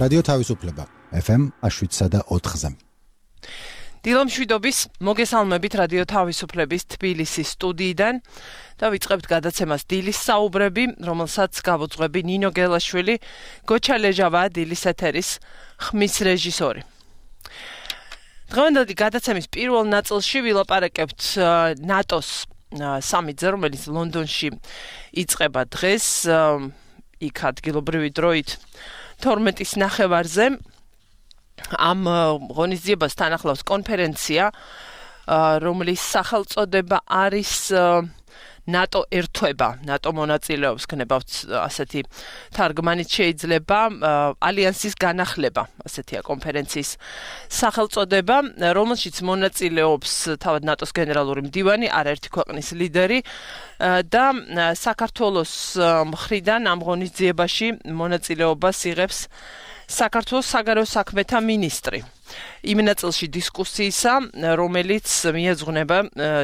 რადიო თავისუფლება FM 7.4-ზე. დილომშვიდობის მოგესალმებით რადიო თავისუფლების თბილისის სტუდიიდან და ვიწყებთ გადაცემას დილის საუბრები, რომელსაც გავუძღვები ნინო გელაშვილი, გოჩა ლეჟავა დილის ეთერის ხმის რეჟისორი. დღევანდელი გადაცემის პირველ ნაწილში ვილაპარაკებთ ნატოს სამიტზე, რომელიც ლონდონში იწყება დღეს, იქ ადგილობრივი დროით 12-ის ნახევარზე. ამ ღონისძიებას ახლავს კონფერენცია, რომლის სახელწოდება არის ნატო ერთვება, ნატო მონაწილეობს, გნებავთ ასეთი თარგმანით შეიძლება, ალიანსის განახლება, ასეთია კონფერენციის სახელწოდება, რომელშიც მონაწილეობს თავად ნატოს გენერალური მდივანი, არაერთი ქვეყნის ლიდერი და საქართველოს მხრიდან ამ ღონისძიებაში მონაწილეობას იღებს საქართველოს საგარეო საქმეთა მინისტრი. იმ ნაწილში დისკუსიისა, რომელიც მიეძღვნება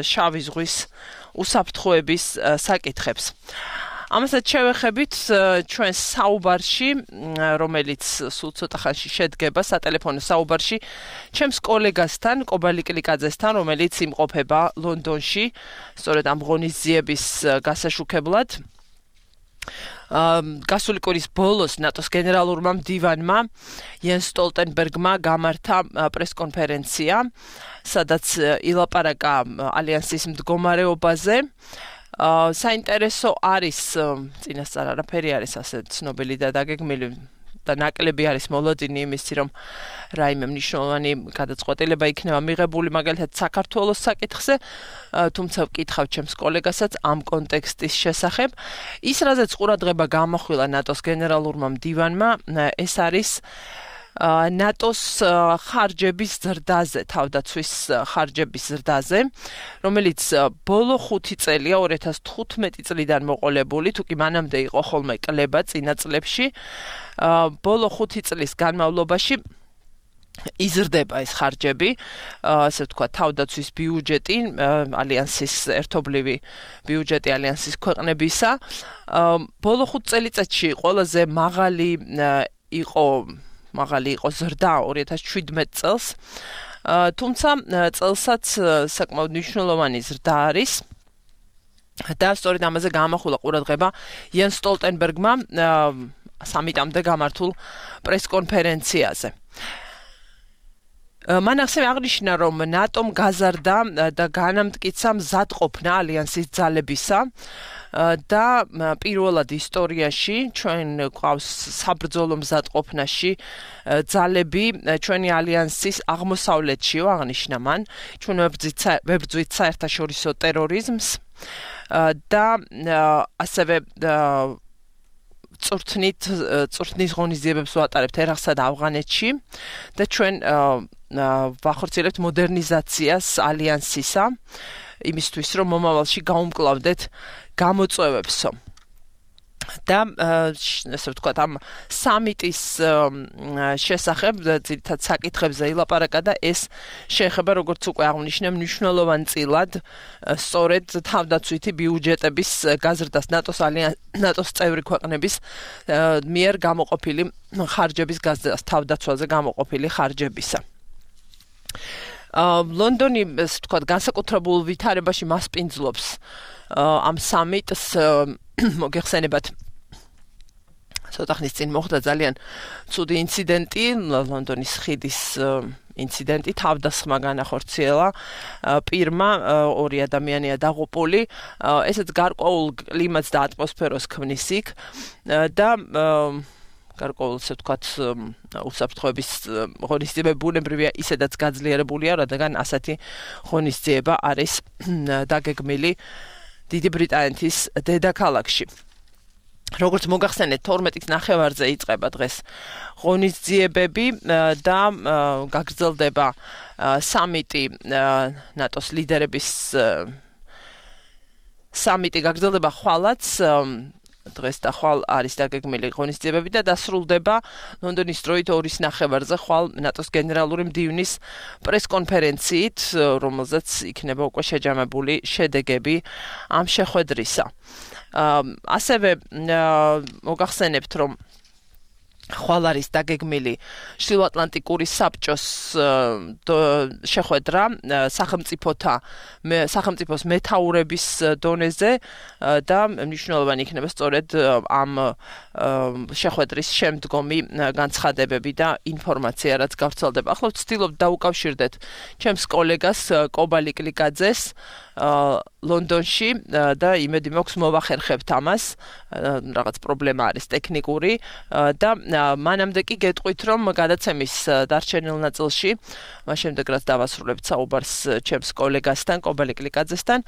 შავი ზღვის უსაფრთხოების საკითხებს. ამასაც შევეხებით ჩვენს საუბარში, რომელიც სულ ცოტა ხანში შედგება სატელეფონო საუბარში, ჩემს კოლეგასთან, კობალი კლიკაძესთან, რომელიც იმყოფება ლონდონში, სწორედ ამ ღონისძიების გასაშუქებლად. გასული კვირის ბოლოს ნატოს გენერალურმა მდივანმა იენს სტოლტენბერგმა გამართა პრესკონფერენცია, სადაც ილაპარაკა ალიანსის მდგომარეობაზე. საინტერესო არის, წინასწარ არაფერი არის ასე ცნობილი და დაგეგმილი და ნაკლები არის მოლოდინი იმისი, რომ რაიმე მნიშვნელოვანი გადაწყვეტილება იქნება მიღებული მაგალითად საქართველოს საკითხზე, თუმცა ვკითხავ ჩემს კოლეგასაც ამ კონტექსტის შესახებ. ის, რაზეც ყურადღება გამახვილა ნატოს გენერალურმა მდივანმა, ეს არის ნატოს ხარჯების ზრდაზე, თავდაცვის ხარჯების ზრდაზე, რომელიც ბოლო 5 წელია 2015 წლიდან მოყოლებული, თუ კი მანამდე იყო ხოლმე კლება წინა წლებში, ბოლო 5 წლის განმავლობაში იზრდება ეს ხარჯები, ასე ვთქვათ, თავდაცვის ბიუჯეტი, ალიანსის ერთობლივი ბიუჯეტი ალიანსის ქვეყნებისა, ბოლო 5 წელიწადში ყველაზე მაღალი იყო ზრდა 2017 წელს, თუმცა წელსაც საკმაოდ მნიშვნელოვანი ზრდა არის და სწორედ ამაზე გამახვილა ყურადღება იენს სტოლტენბერგმა სამიტამდე გამართულ პრესკონფერენციაზე. მან ასევე აღნიშნა, რომ ნატომ გაზარდა და განამტკიცა მზადყოფნა ალიანსის ძალებისა და პირველად ისტორიაში ჩვენ გვყავს საბრძოლო მზადყოფნაში ძალები ჩვენი ალიანსის აღმოსავლეთშიო, აღნიშნა მან, ჩვენ ვებრძვით საერთაშორისო ტერორიზმს და ასევე წვრთნის ღონისძიებებს ვატარებთ ერაყსა და ავღანეთში და ჩვენ ვახორციელებთ მოდერნიზაციას ალიანსისა, იმისთვის, რომ მომავალში გაუმკლავდეთ გამოწვევებსო. და ასე ვთქვათ, ამ სამიტის შესახებ ძირითად საკითხებზე ილაპარაკა და ეს შეეხება, როგორც უკვე აღნიშნე, მნიშვნელოვან წილად სწორედ თავდაცვითი ბიუჯეტების გაზრდას ნატოს წევრი ქვეყნების მიერ გამოყოფილი ხარჯების გაზრდას, თავდაცვაზე გამოყოფილი ხარჯებისა. ლონდონი, ასე ვთქვათ, განსაკუთრებულ ვითარებაში მასპინძლობს ამ სამიტს, მოგეხსენებათ, ცოტა ხნის წინ მოხდა ძალიან ცუდი ინციდენტი, ლონდონის ხიდის ინციდენტი, თავდასხმა განახორციელა პირმა, 2 ადამიანია დაღუპული, ესეც გარკვეულ კლიმატს და ატმოსფეროს ქმნის იქ და გარკვეულ, ასე ვთქვათ, უსაფრთხოების ღონისძიებები ბუნებრივია ისედაც გაძლიერებულია, რადგან ასეთი ღონისძიება არის დაგეგმილი დიდი ბრიტანეთის დედაქალაქში. როგორც მოგახსენეთ, 12-ის ნახევარზე იწყება დღეს ღონისძიებები და გაგრძელდება სამიტი ნატოს ლიდერების სამიტი გაგრძელდება ხვალაც დღეს და ხვალ არის დაგეგმილი ღონისძიებები და დასრულდება ლონდონის დროით 2-ის ნახევარზე ხვალ ნატოს გენერალური მდივნის პრესკონფერენციით, რომელზეც იქნება უკვე შეჯამებული შედეგები ამ შეხვედრისა. ასევე მოგახსენებთ, რომ ხვალ არის დაგეგმილი ჩრდილოატლანტიკური საბჭოს შეხვედრა სახელმწიფოს მეთაურების დონეზე და მნიშვნელოვანი იქნება სწორედ ამ შეხვედრის შემდგომი განცხადებები და ინფორმაცია, რაც გავრცელდება. ახლა ვცდილობ დაუკავშირდეთ ჩემს კოლეგას კობა ლიკლიკაძეს ლონდონში და იმედი მაქვს მოვახერხებთ ამას, რაღაც პრობლემა არის ტექნიკური და მანამდე კი გეტყვით, რომ გადაცემის დარჩენილ ნაწილში, მას შემდეგ რაც დავასრულებთ საუბარს ჩემს კოლეგასთან, კობა ლიკლიკაძესთან,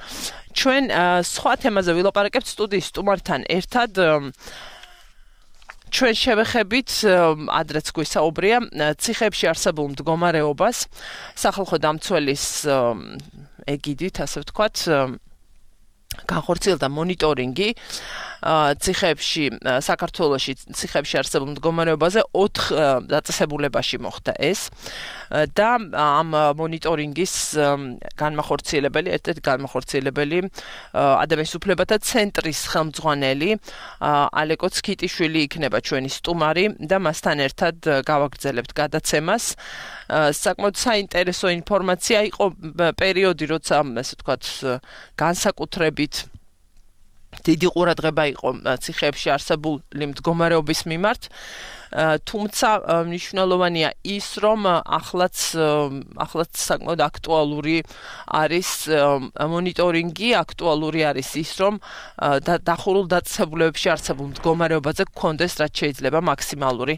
ჩვენ სხვა თემაზე ვილაპარაკებთ სტუდიის სტუმართან ერთად. ჩვენ შევეხებით, ადრეც გვისაუბრია, ციხეებში არსებულ მდგომარეობას, სახალხო დამცველის ეგიდით, ასე ვთქვათ, განხორციელდა მონიტორინგი ციხეებში, საქართველოში ციხეებში არსებულ მდგომარეობაზე 4 დაწესებულებაში მოხდა ეს და ამ მონიტორინგის განმახორციელებელი, ერთ-ერთი განმახორციელებელი ადამიანის უფლებათა ცენტრის ხელმძღვანელი ალეკო ცქიტიშვილი იქნება ჩვენი სტუმარი და მასთან ერთად გავაგრძელებთ გადაცემას. საკმაოდ საინტერესო ინფორმაცია იყო პერიოდი, როცა ასე ვთქვათ, განსაკუთრებით დიდი ყურადღება იყო ციხეებში არსებული მდგომარეობის მიმართ, თუმცა მნიშვნელოვანია ის, რომ ახლაც საკმაოდ აქტუალური არის მონიტორინგი, აქტუალური არის ის, რომ დახურულ დაწესებულებებში არსებულ მდგომარეობაზე გქონდეს რაც შეიძლება მაქსიმალური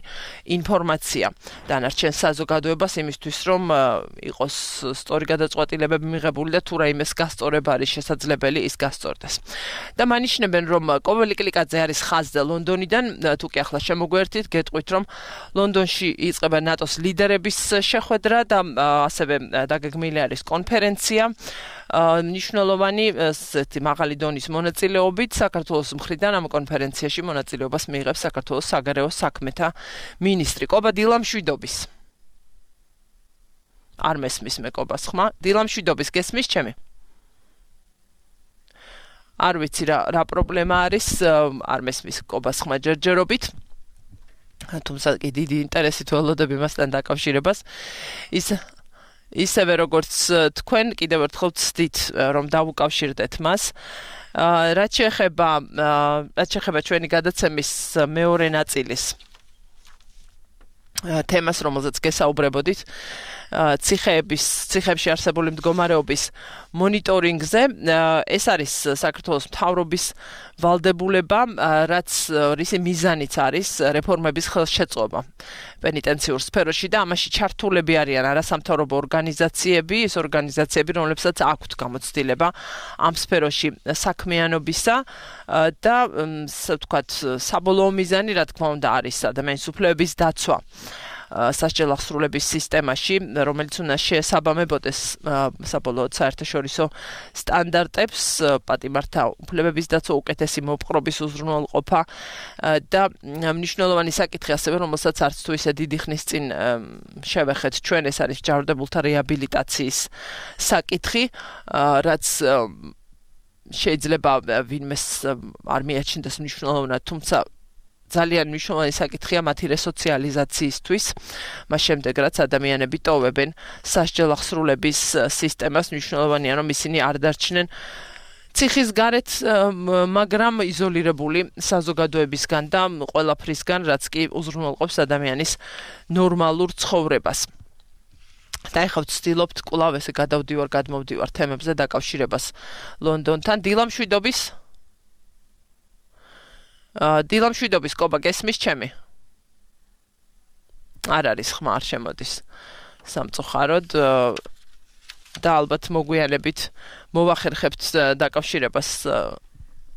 ინფორმაცია დანარჩენ საზოგადოებას იმისთვის, რომ იყოს სწორი გადაწყვეტილებები მიღებული და თუ რაიმეს გასწორება არის შესაძლებელი, ის გასწორდეს. და მანიშნებენ, რომ კობა ლიკლიკაძე არის ხაზზე ლონდონიდან, თუ კი ახლა შემოგვერთით, გეტყვით რომ ლონდონში იწყება ნატოს ლიდერების შეხვედრა და ასევე დაგეგმილი არის კონფერენცია მნიშვნელოვანი მაღალი დონის მონაწილეობით საქართველოს მხრიდან ამ კონფერენციაში მონაწილეობას მიიღებს საქართველოს საგარეო საქმეთა მინისტრი კობა დილამშვიდობის. არ მესმის მე კობას ხმა. დილამშვიდობის გესმის ჩემი? არ ვიცი რა პრობლემა არის, არ მესმის კობას ხმა ჯერჯერობით. თუმცა დიდი ინტერესით ველოდები მასთან დაკავშირებას. ისევე როგორც თქვენ კიდევ ერთხელ ვცდით, რომ დავუკავშირდეთ მას. რაც შეეხება ჩვენი გადაცემის მეორე ნაწილის თემას, რომელზეც გესაუბრებოდით, ციხეებში არსებული მდგომარეობის მონიტორინგზე, ეს არის საქართველოს მთავრობის ვალდებულება, რის მიზანიც არის რეფორმების ხელშეწყობა პენიტენციურ სფეროში და ამაში ჩართულები არიან არასამთავრობო ორგანიზაციები, ის ორგანიზაციები, რომლებსაც აქვთ გამოცდილება ამ სფეროში საქმიანობისა და ვთქვათ, საბოლოო მიზანი, რა თქმა უნდა, არის ადამიანის უფლებების დაცვა. სასჯელ აღსრულების სისტემაში, რომელიც უნდა შეესაბამებოდეს საბოლოოდ საერთაშორისო სტანდარტებს, პატიმართა უფლებების დაცვა, უკეთესი მოპყრობის უზრუნველყოფა და მნიშვნელოვანი საკითხი ასევე, რომელსაც არც თუ ისე დიდი ხნის წინ შევეხეთ ჩვენ, ეს არის ჯანმრთელთა რეაბილიტაციის საკითხი, რაც შეიძლება ვინმეს არ მიაჩნდეს მნიშვნელოვნად, თუმცა ძალიან მნიშვნელოვანი საკითხია მათი რესოციალიზაციისთვის, მას შემდეგ რაც ადამიანები ტოვებენ სასჯელ აღსრულების სისტემას, მნიშვნელოვანია რომ ისინი არ დარჩნენ ციხის გარეთ, მაგრამ იზოლირებული საზოგადოებისგან და ყველაფრისგან, რაც კი უზრუნველყოფს ადამიანის ნორმალურ ცხოვრებას. და ეხლა ვცდილობთ კვლავ ესე გადმოვდივარ თემებზე დაკავშირებას ლონდონთან. დილამშვიდობის კობა გესმის ჩემი? არ არის ხმა, არ შემოდის სამწუხაროდ და ალბათ მოგვიანებით მოვახერხებთ დაკავშირებას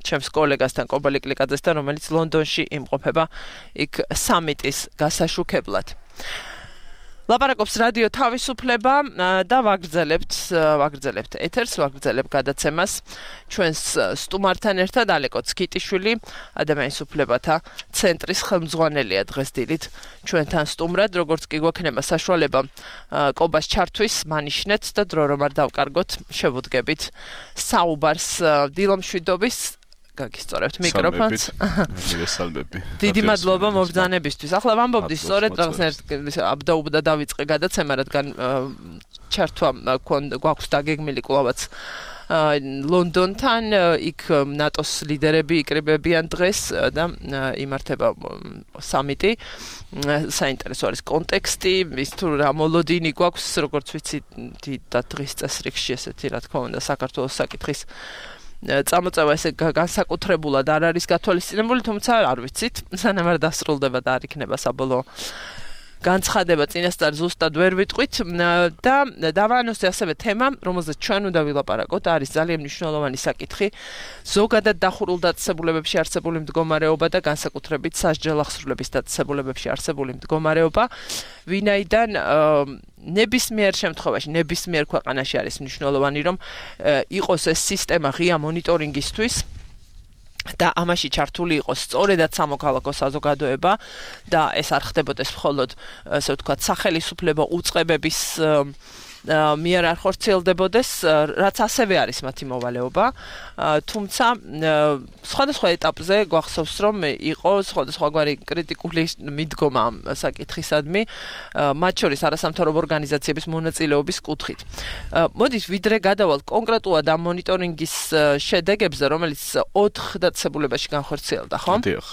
ჩემს კოლეგასთან კობა ლიკლიკაძესთან, რომელიც ლონდონში იმყოფება იქ სამიტის გასაშუქებლად. ლაპარაკობს რადიო თავისუფლება და ვაგრძელებთ ეთერს, ვაგრძელებთ გადაცემას ჩვენს სტუმართან ერთად ალეკო ცქიტიშვილი, ადამიანის უფლებათა ცენტრის ხელმძღვანელია დღეს დილით ჩვენთან სტუმრად, როგორც კი გვექნება საშუალება კობას ჩართვის, მანიშნეთ და დრო რომ არ დავკარგოთ, შევუდგებით საუბარს დილამშვიდობის გაგისწორებთ მიკროფონს. მოგესალმები. დიდი მადლობა მობრძანებისთვის. ახლა ვამბობდი სწორედ რაღაცნაირად აბდაუბდა დავიწყე გადაცემა, რადგან ჩართვა გვაქვს დაგეგმილი კვლავაც ლონდონთან, იქ ნატოს ლიდერები იკრიბებიან დღეს და იმართება სამიტი. საინტერესო არის კონტექსტი, ის თუ რა მოლოდინი გვაქვს, როგორც ვიცი, და დღის წესრიგში ესეთი რა თქმა უნდა საქართველოს საკითხის წამოწევა ესე განსაკუთრებულად არ არის გათვალისწინებული, თუმცა არ ვიცით, სანამ არ დასრულდება და არ იქნება საბოლოო განცხადება წინასწარ ზუსტად ვერ ვიტყვით და დავაანონსე ასევე თემა, რომელზეც ჩვენ უნდა ვილაპარაკოთ, არის ძალიან მნიშვნელოვანი საკითხი, ზოგადად დახურულ დაწესებულებებში არსებული მდგომარეობა და განსაკუთრებით სასჯელ ახსრულების დაწესებულებებში არსებული მდგომარეობა, ვინაიდან ნებისმიერ შემთხვევაში, ნებისმიერ ქვეყანაში არის მნიშვნელოვანი, რომ იყოს ეს სისტემა ღია მონიტორინგისთვის და ამაში ჩართული იყოს სწორედად სამოქალაქო საზოგადოება და ეს არ ხდებოდეს მხოლოდ, ასე ვთქვათ, სახელისუფლებო უწყებების მიერ არ ხორციელდებოდეს, რაც ასევე არის მათი მოვალეობა, თუმცა სხვადასხვა ეტაპზე გვახსოვს, რომ იყო სხვადასხვაგვარი კრიტიკული მიდგომა ამ საკითხისადმი, მათ შორის არასამთავრობო ორგანიზაციების მონაწილეობის კუთხით. მოდით ვიდრე გადავალთ კონკრეტულად ამ მონიტორინგის შედეგებზე, რომელიც 4 დაწესებულებაში განხორციელდა, ხო? დიახ.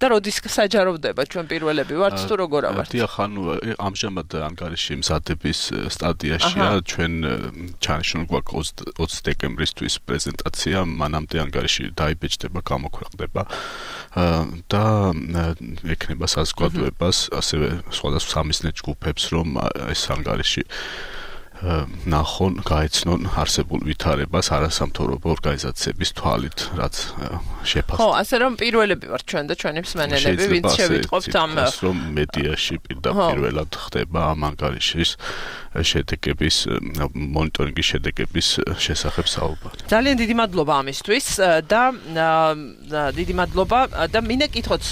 და როდის საჯაროვდება ჩვენ პირველები ვართ თუ როგორ ავართ? დიახ, ანუ ამჟამად ანგარიში მზადების სტადიაშია, ჩვენ ჩანიშნულ გვაქვს 20 დეკემბრისთვის პრეზენტაცია, მანამდე ანგარიში დაიბეჭდება, გამოქვეყნდება და ექნება საზოგადოებას, ასევე სხვადასხვა სამიზნე ჯგუფებს, რომ ეს ანგარიში ნახონ, გაეცნონ არსებულ ვითარებას არასამთავრობო ორგანიზაციების თვალით, რაც შეფასდება. ხო, ასე რომ პირველები ვართ ჩვენ და ჩვენი მსმენელები, ვინც შევიტყობთ ამ რომ მედიაში პირველად ხდება ამ ანგარიშის შედეგების, მონიტორინგის შედეგების შესახებ საუბარი. ძალიან დიდი მადლობა ამისთვის და დიდი მადლობა და მინდა კითხოთ,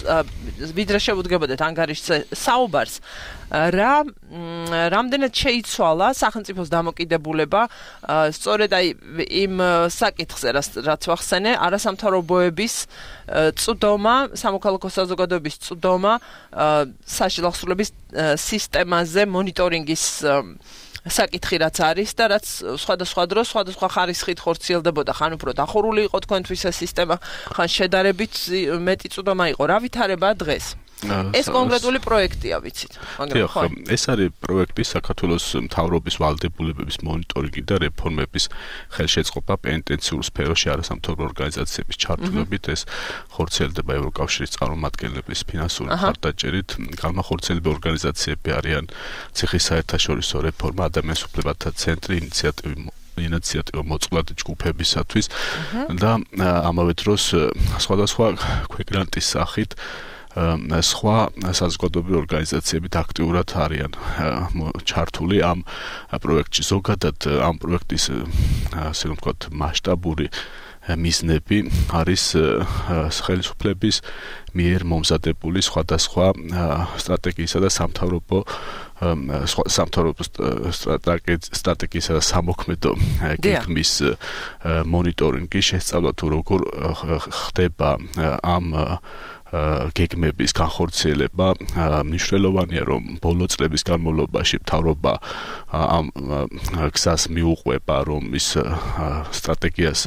ვიდრე შევუდგებოდეთ ანგარიშზე საუბარს, რამდენად შეიცვალა სახელმწიფოს დამოკიდებულება სწორედ აი იმ საკითხზე, რაც ვახსენე, არასამთავრობოების წვდომა, სამოქალაქო საზოგადოების წვდომა სასჯელ ახსრულების სისტემაზე მონიტორინგის საკითხი რაც არის და რაც სხვადასხვა დროს, სხვადასხვა ხარისხით ხორციელდებოდა, ხან უფრო დახურული იყო თქვენთვის ეს სისტემა, ხან შედარებით მეტი წვდომა იყო. რა ვითარებაა დღეს? ეს კონკრეტული პროექტია, ვიცით. დიახ, ეს არის პროექტი საქართველოს მთავრობის ვალდებულებების მონიტორინგი და რეფორმების ხელშეწყობა პენიტენციურ სფეროში არასამთავრობო ორგანიზაციების ჩართულობით. ეს ხორციელდება ევროკავშირის წარმომადგენლების ფინანსური მხარდაჭერით. განმახორციელებელი ორგანიზაციები არიან ციხის საერთაშორისო რეფორმა, ადამიანის უფლებათა ცენტრი, ინიციატივა მოწყვლადი ჯგუფებისათვის და ამავე დროს სხვადასხვა ქვეყნების სახით სხვა საზოგადოებრივი ორგანიზაციებით აქტიურად არიან ჩართული ამ პროექტში. ზოგადად ამ პროექტის ასე ვთქვათ მასშტაბური მიზნები არის ხელისუფლების მიერ მომზადებული სხვადასხვა სტრატეგიისა და სამთავრობო სტრატეგიისა და სამოქმედო გეგმის მონიტორინგი, შესწავლა თუ როგორ ხდება ამ გეგმების განხორციელება. მნიშვნელოვანია, რომ ბოლო წლების განმავლობაში მთავრობა ამ გზას მიუყვება, რომ ის სტრატეგიას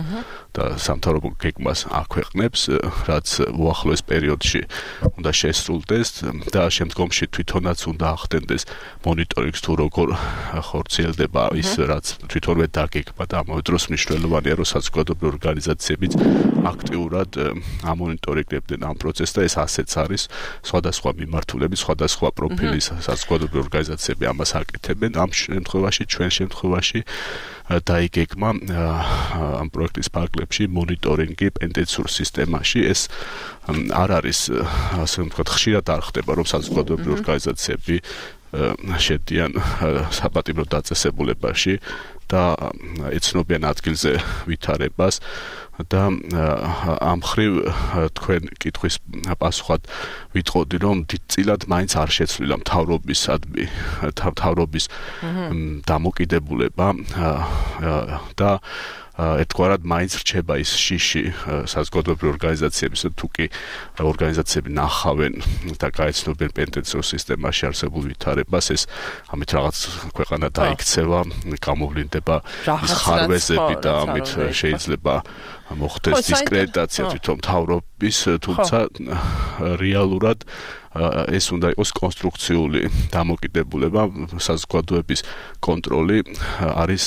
და სამთავრობო გეგმას აქვეყნებს, რაც უახლოეს პერიოდში უნდა შესრულდეს და შემდგომში თვითონაც უნდა ახდენდეს მონიტორინგს თუ როგორ ხორციელდება ის, რაც თვითონვე დაგეგმა და ამავე დროს მნიშვნელოვანია, რომ საზოგადოებრივი ორგანიზაციებიც აქტიურად ამონიტორინგებდნენ ამ პროცესს და ეს ასეც არის სხვადასხვა მიმართულების, სხვადასხვა პროფილის საზოგადოებრივი ორგანიზაციები ამას აკეთებენ. ამ შემთხვევაში, ჩვენ შემთხვევაში დაიგეგმა ამ პროექტის ფარგლებში მონიტორინგი პენიტენციურ სისტემაში. ეს არ არის, ასე ვთქვათ, ხშირად არ ხდება, რომ საზოგადოებრივი ორგანიზაციები შედიან საპატიმრო დაწესებულებაში და ეცნობიან ადგილზე ვითარებას და ამ ხრივ თქვენ კითხვის პასუხად ვიტყოდი, რომ დიდწილად მაინც არ შეცვლილა მთავრობის დამოკიდებულება და ერთგვარად მაინც რჩება ის შიში საზოგადოებრივი ორგანიზაციების თუ კი ორგანიზაციები ნახავენ და გაეცნობენ პენტენციურ სისტემაში არსებულ ვითარებას, ეს ამით რაღაც ქვეყანა დაიქცევა, გამოვლინდება ის ხარვეზები და ამით შეიძლება მოხდეს დისკრედიტაცია თვითონ მთავრობის, თუმცა რეალურად ეს უნდა იყოს კონსტრუქციული დამოკიდებულება, საზოგადოების კონტროლი არის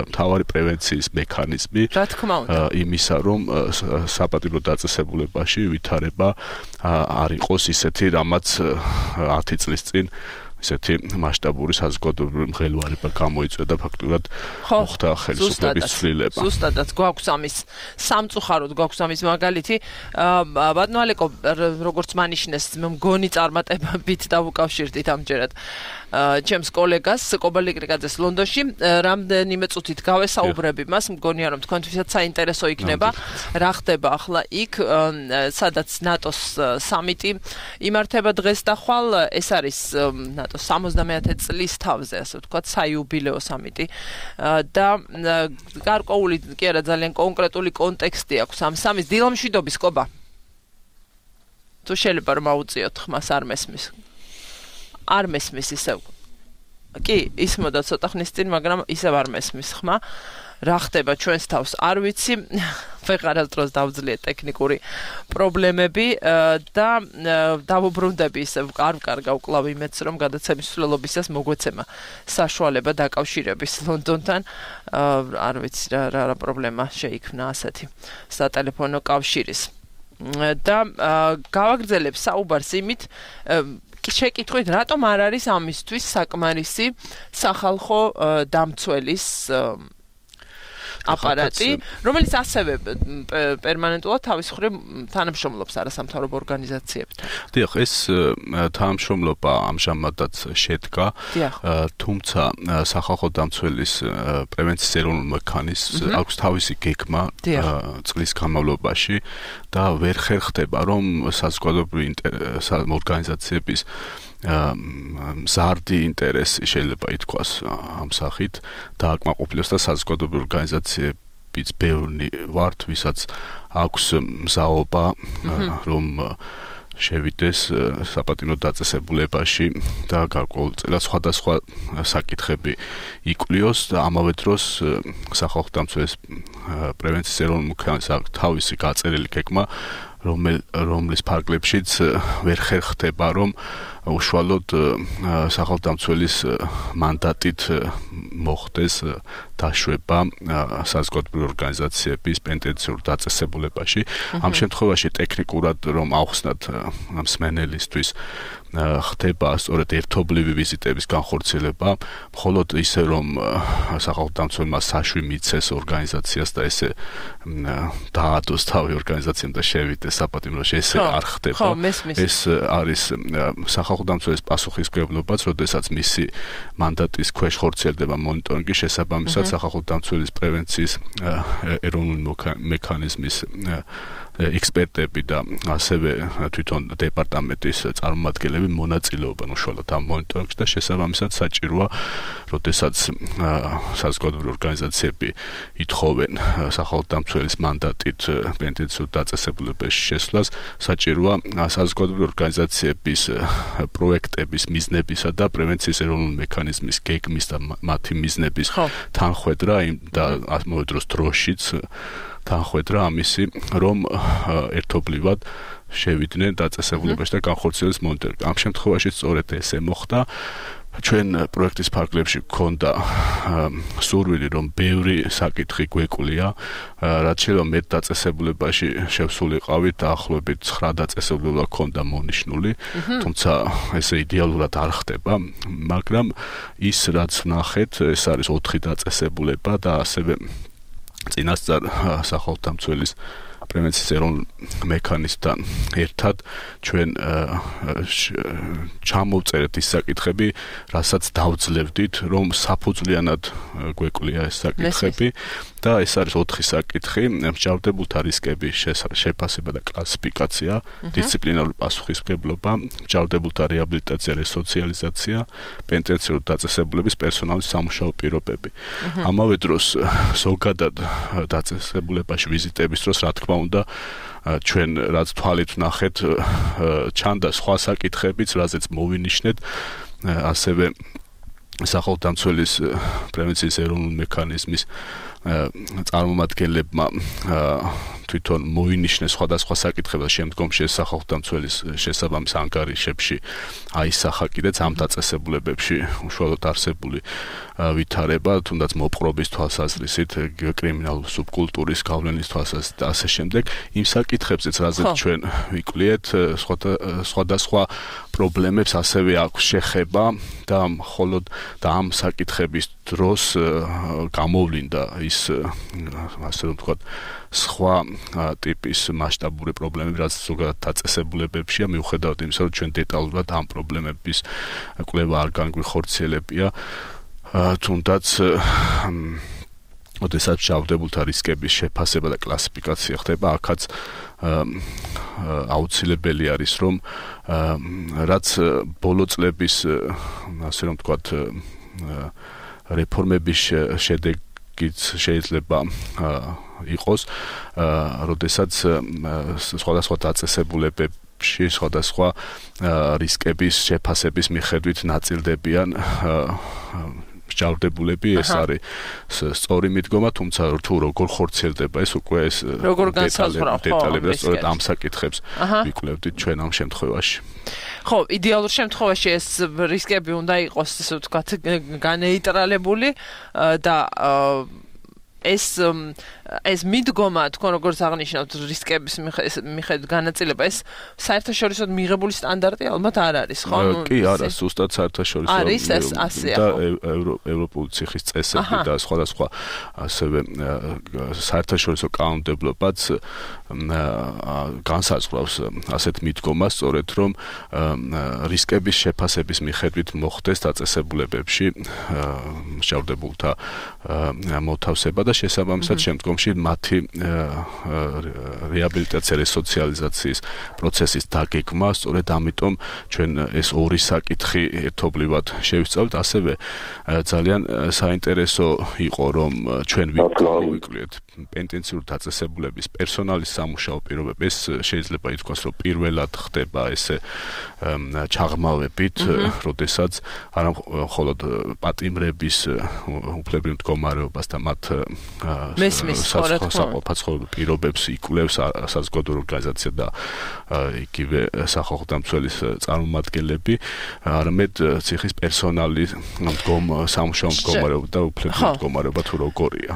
მთავარი პრევენციის მექანიზმი. რა თქმა უნდა. იმისა, რომ საპატიმრო დაწესებულებაში ვითარება არ იყოს ისეთი, რამაც 10 წლის წინ ისეთი მასშტაბური საზოგადოებრივი მღელვარება გამოიწვია და ფაქტურად მოხდა ხელისუფლების ცვლილება. ზუსტადაც გვაქვს ამის სამწუხაროდ გვაქვს ამის მაგალითი. ბატონო ალეკო, როგორც მანიშნეს, მე მგონი წარმატებებით დავუკავშირდით ამჯერად ჩემს კოლეგას კობალიკრიკაძეს ლონდონში, რამდენიმე წუთით გავესაუბრები მას, მგონია რომ თქვენთვისაც საინტერესო იქნება, რა ხდება ახლა იქ, სადაც ნატოს სამიტი იმართება დღეს და ხვალ, ეს არის ნატოს 70-ე წლის თავზე, ასე ვთქვათ, საიუბილეო სამიტი და გარკვეული კი არა ძალიან კონკრეტული კონტექსტი აქვს ამ სამის დილამშვიდობის კობა. თუ შეიძლება რომ აუწიოთ ხმას არ მესმის. არ მესმის ისევ. კი, ისმოდა ცოტა ხნის წინ, მაგრამ ისევ არ მესმის ხმა. რა ხდება ჩვენს თავს არ ვიცი. ვეღარასდროს დავძლიეთ ტექნიკური პრობლემები და დავუბრუნდები ისევ არ ვკარგავ კლავ იმედს, რომ გადაცემის მსვლელობისას მოგვეცემა საშუალება დაკავშირების ლონდონთან. არ ვიცი რა პრობლემა შეიქმნა ასეთი სატელეფონო კავშირის. და გავაგრძელებ საუბარს იმით, შეკითხვით, რატომ არ არის ამისთვის საკმარისი სახალხო დამცველის აპარატი, რომელიც ასევე პერმანენტულად თავის მხრივ თანამშრომლობს არასამთავრობო ორგანიზაციებთან. დიახ, ეს თანამშრომლობა ამჟამადაც შედგა, თუმცა სახალხო დამცველის პრევენციის ეროვნულ მექანიზმს აქვს თავისი გეგმა წლის განმავლობაში და ვერ ხერხდება, რომ საზოგადოებრივი ორგანიზაციების მზარდი ინტერესი შეიძლება ითქვას ამ სახით დააკმაყოფილოს და საზოგადოებრივი ორგანიზაციებიც ბევრი ვართ, ვისაც აქვს მზაობა, რომ შევიდეს საპატიმრო დაწესებულებაში და გარკვეულწილად სხვადასხვა საკითხები იკვლიოს და ამავე დროს სახალხო დამცველის პრევენციის ეროვნულ მექანიზმს აქვს თავისი გაწერილი გეგმა, რომლის ფარგლებშიც ვერ ხერხდება, რომ უშუალოდ სახალხო დამცველის მანდატით მოხდეს დაშვება საზოგადოებრივი ორგანიზაციების პენტენციურ დაწესებულებაში. ამ შემთხვევაში ტექნიკურად რომ ავხსნათ მსმენელისთვის ხდება სწორედ ერთობლივი ვიზიტების განხორციელება, მხოლოდ ისე რომ სახალხო დამცველმა საშვი მიცეს ორგანიზაციას და ესე დაადოს თავი ორგანიზაციამ და შევიდეს საპატიმროში, ესე არ ხდება. ეს არის სახალხო დამცველის პასუხისმგებლობაც, როდესაც მისი მანდატის ქვეშ ხორციელდება მონიტორინგი, შესაბამისად სახალხო დამცველის პრევენციის ეროვნული მექანიზმის ექსპერტები და ასევე თვითონ დეპარტამენტის წარმომადგენლები მონაწილეობენ უშუალოდ ამ მონიტორინგში და შესაბამისად საჭიროა, როდესაც საზოგადოებრივი ორგანიზაციები ითხოვენ სახალხო დამცველის მანდატით პენტენციურ დაწესებულებაში შესვლას, საჭიროა საზოგადოებრივი ორგანიზაციების პროექტების მიზნებისა და პრევენციის ეროვნული მექანიზმის გეგმის და მათი მიზნების თანხვედრა და ამავე დროს დროშიც თანხვედრა ამისი, რომ ერთობლივად შევიდნენ დაწესებულებაში და განხორციელდეს მონიტორინგი. ამ შემთხვევაში სწორედ ესე მოხდა. ჩვენ პროექტის ფარგლებში გქონდა სურვილი, რომ ბევრი საკითხი გვეკვლია, რაც შეიძლება მეტ დაწესებულებაში შევსულიყავით, დაახლოებით 9 დაწესებულება გქონდა მონიშნული, თუმცა ესე იდეალურად არ ხდება, მაგრამ ის რაც ვნახეთ, ეს არის 4 დაწესებულება და ასევე წინასწარ სახალხო დამცველის პრევენციის ეროვნულ მექანიზმთან ერთად ჩვენ ჩამოვწერეთ ის საკითხები, რასაც დავძლევდით, რომ საფუძვლიანად გვეკვлия ეს საკითხები და ეს არის 4 საკითხი: მსჯავრდებულთა რისკების შეფასება და კლასიფიკაცია, დისციპლინარული პასუხისმგებლობა, მსჯავრდებულთა რეაბილიტაცია, რესოციალიზაცია, პენტენციურული დაწესებულების პერსონალის სამუშაო პირობები. ამავე დროს ზოგადად დაწესებულებაში ვიზიტების დროს, რა თქმა უნდა, ჩვენ რაც თვალით ვნახეთ, ჩანდა სხვა საკითხებიც, რაზეც მოვინიშნეთ, ასევე სახელმწიფოს პრევენციის ეროვნული მექანიზმის წარმომადგენლებმა თვითონ მოინიშნეს სხვადასხვა საკითხები და შემდგომში სახელმწიფოს შესაბამის ანგარიშებში აისახა კიდეც ამ დაწესებულებებში უშუალოდ არსებული ვითარება, თუნდაც მოპყრობის თვალსაზრისით, კრიმინალური სუბკულტურის გავლენის თვალსაზრისით და ასე შემდეგ. იმ საკითხებზეც, რაზეც ჩვენ ვიკვლიეთ, სხვადასხვა პრობლემებს ასევე აქვს შეხება და მხოლოდ და ამ საკითხების დროს გამოვლინდა ის ასე რომ ვთქვათ სხვა ტიპის მასშტაბური პრობლემები, რაც ზოგადად დაწესებულებებშია, მიუხედავად იმისა, რომ ჩვენ დეტალურად ამ პრობლემების კვლევა არ განგვიხორციელებია, თუნდაც ოდესაც მსჯავრდებულთა რისკების შეფასება და კლასიფიკაცია ხდება, აქაც აუცილებელი არის, რომ რაც ბოლო წლების ასე რომ ვთქვათ რეფორმების შედეგიც შეიძლება იყოს, როდესაც სხვადასხვა დაწესებულებებში სხვადასხვა რისკების შეფასების მიხედვით ნაწილდებიან მსჯავრდებულები, ეს არის სწორი მიდგომა, თუმცა თუ როგორ ხორციელდება ეს უკვე ეს დეტალები და სწორედ ამ საკითხებს ვიკვლევდით ჩვენ ამ შემთხვევაში. ხო, იდეალურ შემთხვევაში ეს რისკები უნდა იყოს, ასე ვთქვათ, განეიტრალებული და ეს მიდგომა, თქვენ როგორც აღნიშნავთ, რისკების მიხედვით განაწილება, ეს საერთაშორისო მიღებული სტანდარტი ალბათ არ არის, ხო? კი, არა, ზუსტად საერთაშორისო არის ეს ასეა, და ევროპული ციხის წესები და სხვადასხვა ასევე საერთაშორისო კანონმდებლობაც განსაზღვრავს ასეთ მიდგომას, სწორედ რომ რისკების შეფასების მიხედვით მოხდეს დაწესებულებებში მსჯავრდებულთა მოთავსება და შესაბამისად შემდგომში მათი რეაბილიტაცია, რესოციალიზაციის პროცესის დაგეგმა, სწორედ ამიტომ ჩვენ ეს ორი საკითხი ერთობლივად შევისწავლეთ, ასევე ძალიან საინტერესო იყო, რომ ჩვენ ვიკვლიეთ პენტენციურული დაწესებულების პერსონალის სამუშაო პირობები. ეს შეიძლება ითქვას, რომ პირველად ხდება ესე ჩაღმავებით, როდესაც არა მხოლოდ პატიმრების უფლებრივ მდგომარეობას და მათ საყოფაცხოვრებელ პირობებს იკვლევს საზოგადო ორგანიზაცია და იგივე სახალხო მცველის წარმომადგენლები, არამედ ციხის პერსონალის სამუშაო მდგომარეობა და უფლებრივ მდგომარეობა თუ როგორია.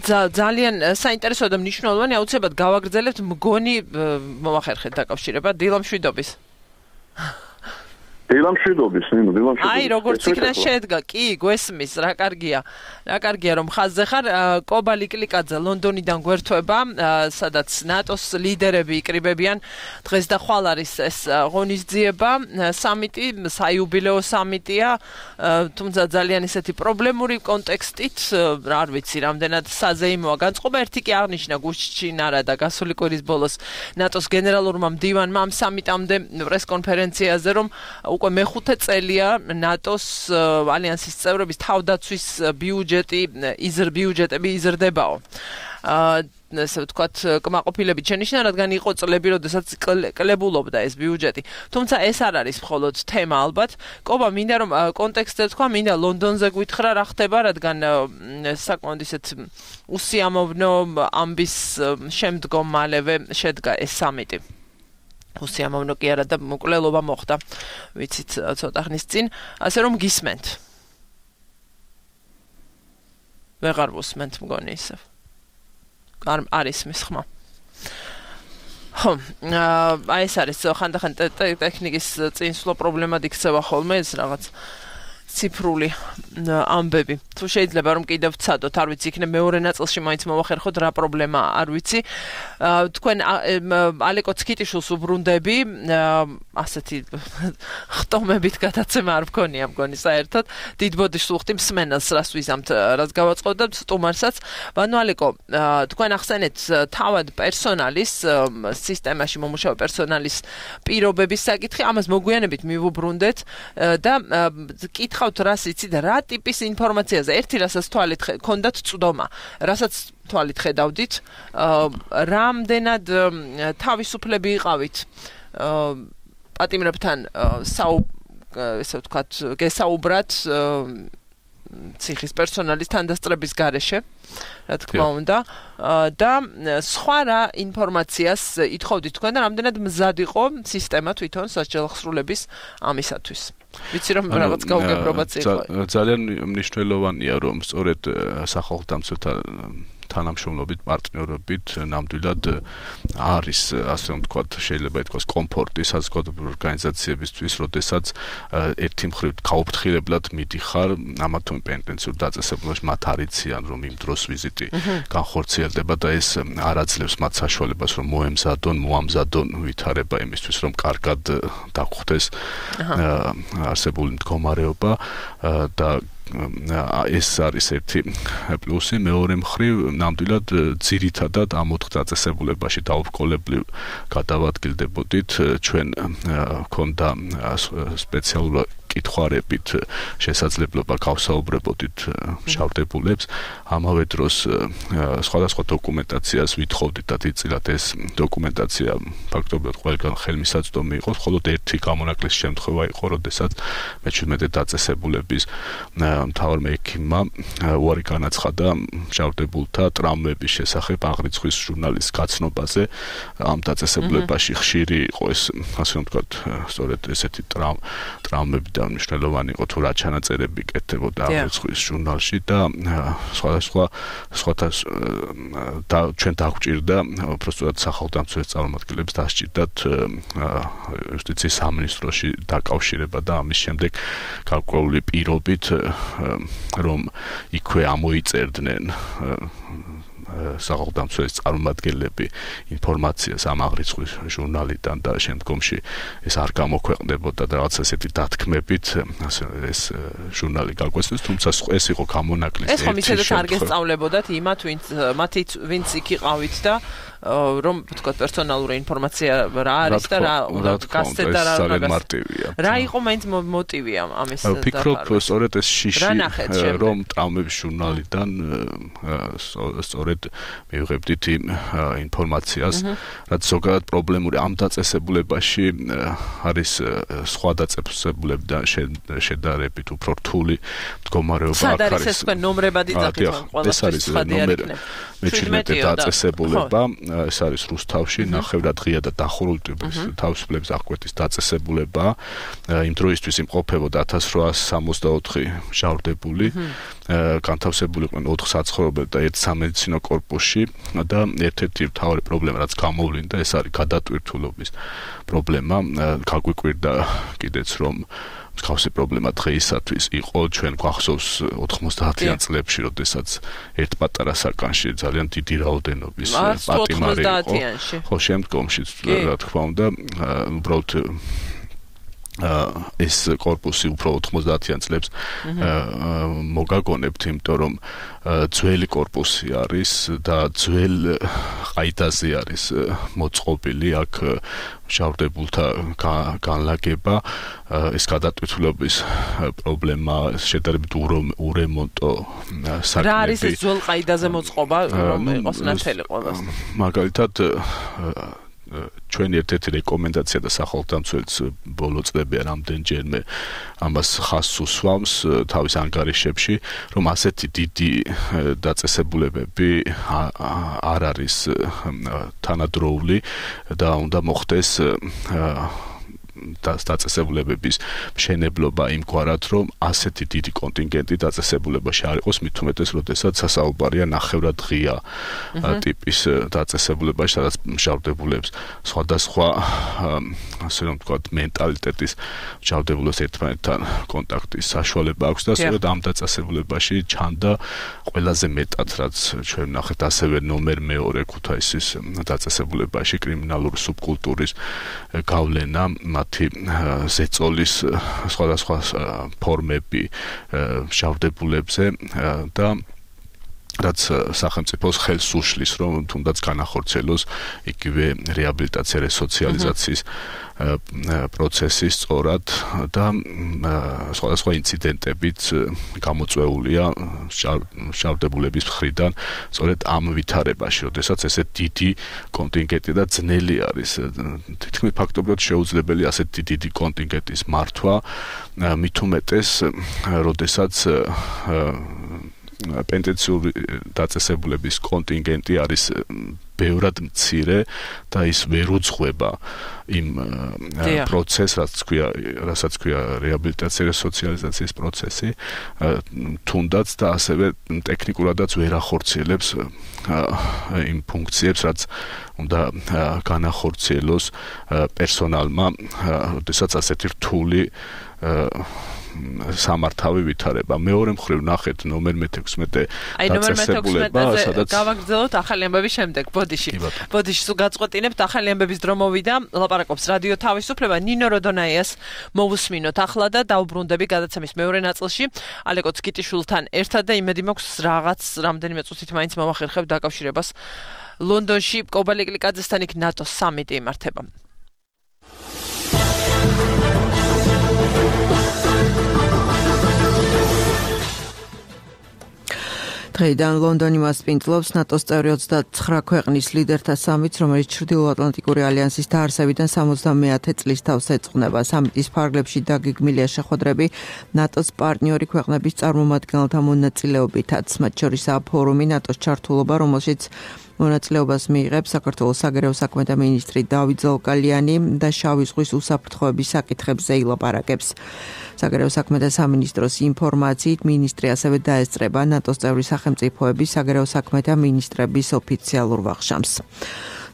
ძალიან საინტერესო და მნიშვნელოვანი, აუცილებლად გავაგრძელებთ მგონი მომახერხეთ დაკავშირება დილამშვიდობის. დილამშვიდობის, აი, როგორც იქნა შედგა, კი, გვესმის, რა კარგია, რომ ხაზზე ხარ. კობა ლიკლიკაძე ლონდონიდან გვერდება, სადაც ნატოს ლიდერები იკრიბებიან. დღეს და ხვალ არის ეს ღონისძიება, სამიტი, საიუბილეო სამიტია, თუმცა ძალიან ისეთი პრობლემური კონტექსტით, არ ვიცი, რამდენად საზეიმოა განწყობა. ერთი კი აღნიშნა გუშინარა და გასული კვირის ბოლოს ნატოს გენერალურმა მდივანმა ამ სამიტამდე პრესკონფერენციაზე, რომ უკვე მეხუთე წელია ნატოს ალიანსის წევრების თავდაცვის ბიუჯეტები იზრდებაო. ასე ვთქვათ, კმაყოფილებით შენიშნა, რადგან იყო წლები, როდესაც კლებულობდა ეს ბიუჯეტი. თუმცა ეს არ არის მხოლოდ თემა ალბათ. კობა, მინდა რომ კონტექსტზე თქვა, მინდა ლონდონზე გითხრა რა ხდება, რადგან საკმაოდ ისეთ უსიამოვნო ამბის შემდგომ მალევე შედგა ეს სამიტი. უსიამოვნო კი არა და მკვლელობა მოხდა, ვიცით, ცოტა ხნის წინ, ასე რომ გისმენთ. ვეღარ ვუსმენთ მგონი ისევ. არ ისმის ხმა. ხო, აი ეს არის ხანდახან ტექნიკის წინსვლა პრობლემად იქცევა ხოლმე ეს რაღაც ციფრული ამბები. თუ შეიძლება რომ კიდევ ვცადოთ, არ ვიცი, იქნებ მეორე ნაწილში მაინც მოვახერხოთ რა პრობლემა, არ ვიცი. თქვენ ალეკო ცკიტიშვილს უბრუნდები, ასეთი ხტომებით გადაცემა არ მქონია მგონი საერთოდ. დიდ ბოდიშს ვუხდი მსმენელს, რას ვიზამთ, რას გავაწყობთ სტუმარსაც. ბანო ალეკო, თქვენ ახსენეთ თავად პერსონალის სისტემაში მომუშავე პერსონალის პირობების საკითხი, ამას მოგვიანებით მივუბრუნდეთ და კითხავთ რას იცით, რა ტიპის ინფორმაციაზე. ერთი რასაც თვალით ქონდათ წვდომა, რასაც თვალით ხედავდით, რამდენად თავისუფლები იყავით პატიმრებთან ესე ვთქვათ, გესაუბრათ ციხის პერსონალის თანდასწრების გარეშე, რა თქმა უნდა, და სხვა რა ინფორმაციას ითხოვდით თქვენ და რამდენად მზად იყო სისტემა თვითონ სასჯელახსრულების ამისათვის. ვიცი რომ რაღაც გაუგებრობაც იყო. ძალიან მნიშვნელოვანია რომ სწორედ სახალხო დამცველთა თანამშრომლობით, პარტნიორობით ნამდვილად არის, ასე რომ ვთქვათ, შეიძლება ითქვას კომფორტი საზოგადოებრივი ორგანიზაციებისთვის, როდესაც ერთი მხრივ გაუფრთხილებლად მიდიხარ ამა თუ იმ პენტენციურ დაწესებულებაში, მათ არიციან, რომ იმ დროს ვიზიტი განხორციელდება და ეს არ აძლევს მათ საშუალებას, რომ მოამზადონ ვითარება იმისთვის, რომ კარგად დაგხვდეს არსებული მდგომარეობა და ეს არის ერთი პლუსი, მეორე მხრივ ნამდვილად ძირითადად ამ 4 დაწესებულებაში დაუბრკოლებლივ გადავადგილდებოდით, ჩვენ გქონდა სპეციალურად კითხვარებით შესაძლებლობა გავსაუბრებოდით მშავდებულებს, ამავე დროს სხვადასხვა დოკუმენტაციას ვითხოვდით და დიდწილად ეს დოკუმენტაცია ფაქტობრივად ყველგან ხელმისაწვდომი იყო, მხოლოდ ერთი გამონაკლისის შემთხვევა იყო, როდესაც მე-17 დაწესებულების მთავარ მექიმმა უარი განაცხადა მშავდებულთა ტრამვების შესახებ აღრიცხვის ჟურნალის გაცნობაზე. ამ დაწესებულებაში ხშირი იყო ეს, ასე რომ ვთქვათ, სწორედ ესეთი ტრამვები და მნიშვნელოვანი იყო თუ რა ჩანაწერები კეთდებოდა აღრიცხვის ჟურნალში და სხვადასხვა ჩვენ დაგვჭირდა უბრალოდ სახალხო დამცველის წარმომადგენლებს დასჭირდათ იუსტიციის სამინისტროში დაკავშირება და ამის შემდეგ გარკვეული პირობით რომ იქვე ამოიწერდნენ სახალხო დამცველის წარმომადგენლები ინფორმაციას ამ აღრიცხვის ჟურნალიდან და შემდგომში ეს არ გამოქვეყნდებოდა და რაღაც ესეთი დათქმებით ეს ჟურნალი გაგვესწრეს, თუმცა ეს იყო გამონაკლისი. ეს ხომ ისედაც არ გესწავლებოდათ იმათ, ვინც იქ იყავით და რომ ვთქვათ პერსონალური ინფორმაცია რა არის და რა გასცეთ და რა მარტივია. რა იყო მაინც მოტივი ამის და ვფიქრობ, სწორედ ეს შიში რომ ტრამვების ჟურნალიდან სწორედ მივიღებდით იმ ინფორმაციას, რაც ზოგადად პრობლემური ამ დაწესებულებაში არის სხვა დაწესებულებიდან შედარებით უფრო რთული მდგომარეობა აქ არის. ეს თქვენ ნომრებად იწახით ყველაფერს ხადი არ იქნება. მე-17 დაწესებულება ეს არის რუსთავში, ნახევრად ღია და დახურული ტიპის თავისუფლების აღკვეთის დაწესებულება. იმ დროისთვის იმყოფებოდა 1864 მჟავრდებული, განთავსებული იყვნენ 4 საცხოვრებელ და 1 სამედიცინო კორპუსში და ერთ-ერთი მთავარი პრობლემა, რაც გამოვლინდა, ეს არის გადატვირთულობის პრობლემა. გაგვიკვირდა კიდეც, რომ მსგავსი პრობლემა დღეისათვის იყო, ჩვენ გვახსოვს 90-იან წლებში, როდესაც ერთ პატარა საკანში ძალიან დიდი რაოდენობის პატიმარი იყო. ხო, შემდგომში რა თქმა უნდა, უბრალოდ ეს კორპუსი უფრო 90-იან წლებს მოგაგონებთ, იმიტომ რომ ძველი კორპუსი არის და ძველ ყაიდაზე არის მოწყობილი აქ მშავდებულთა განლაგება. ეს გადატვირთულობის პრობლემა შედარებით ურემონტო საქმეები. რა არის ეს ძველ ყაიდაზე მოწყობა, რომ იყოს ნათელი ყველას? მაგალითად ჩვენი ერთ-ერთი რეკომენდაცია და სახალხო დამცველის ბოლო წლებია რამდენჯერმე ამას ხაზს უსვამს თავის ანგარიშებში, რომ ასეთი დიდი დაწესებულებები არ არის თანადროული და უნდა მოხდეს დაწესებულებების მშენებლობა იმგვარად, რომ ასეთი დიდი კონტინგენტი დაწესებულებაში არ იყოს, მით უმეტეს, როდესაც სასაუბარია ნახევრად ღია ტიპის დაწესებულებაში, სადაც მჟავდებულებს სხვადასხვა ასე რომ ვთქვათ, მენტალიტეტის მჟავდებულებს ერთმანეთთან კონტაქტის საშუალება აქვს და სწორედ ამ დაწესებულებაში ჩანდა ყველაზე მეტად, რაც ჩვენ ვნახეთ, ასევე ნომერ მეორე ქუთაისის დაწესებულებაში კრიმინალური სუბკულტურის გავლენა, მათი ზეწოლის სხვადასხვა ფორმები მჟავდებულებზე და რაც სახელმწიფოს ხელს უშლის, რომ თუნდაც განახორციელოს იგივე რეაბილიტაცია, რესოციალიზაციის პროცესი სწორად და სხვადასხვა ინციდენტებით გამოწვეულია მჟავდებულების მხრიდან სწორედ ამ ვითარებაში, როდესაც ესე დიდი კონტინგენტი და ძნელი არის. თითქმის ფაქტობრივად შეუძლებელი ასეთი დიდი კონტინგენტის მართვა, მით უმეტეს, როდესაც პენტენციური დაწესებულების კონტინგენტი არის ბევრად მცირე და ის ვერ უძღვება იმ პროცესს, რასაც ქვია რეაბილიტაცია, სოციალიზაციის პროცესი, თუნდაც და ასევე ტექნიკურადაც ვერ ახორციელებს იმ ფუნქციებს, რაც უნდა განახორციელოს პერსონალმა, როდესაც ასეთი რთული სამართავი ვითარება. მეორე მხრივ ნახეთ ნომერ 16 დაწესებულება, სადაც გავაგრძელოთ ახალი ამბების შემდეგ. ბოდიში სულ გაწყვეტინებთ, ახალი ამბების დრო მოვიდა, ლაპარაკობს რადიო თავისუფლება. ნინო როდონაიას მოვუსმინოთ ახლა და დაუბრუნდები გადაცემის მეორე ნაწილში. ალეკო ცკიტიშვილთან ერთად და იმედი მაქვს რამდენიმე წუთით მაინც მოვახერხებ დაკავშირებას ლონდონში კობალე კლიკაძესთან იქ ნატოს სამიტი იმართება. დღეიდან ლონდონი მასპინძლობს ნატოს წევრი 29 ქვეყნის ლიდერთა სამიტს, რომელიც ჩრდილოატლანტიკური ალიანსის დაარსებიდან 70-ე წლის თავს ეწყნება. სამიტის ფარგლებში დაგეგმილია შეხვედრები ნატოს პარტნიორი ქვეყნების წარმომადგენელთა მონაწილეობითაც, მათ შორისაა ფორუმი ნატოს ჩართულობა, რომელშიც მონაწილეობას მიიღებს საქართველოს საგარეო საქმეთა მინისტრი დავით ზოლკალიანი და შავი ზღვის უსაფრთხოების საკითხებზე ილაპარაკებს. საგარეო საქმეთა სამინისტროს ინფორმაციით, მინისტრი ასევე დაესწრება ნატოს წევრი სახელმწიფოების საგარეო საქმეთა მინისტრების ოფიციალურ ვახშამს.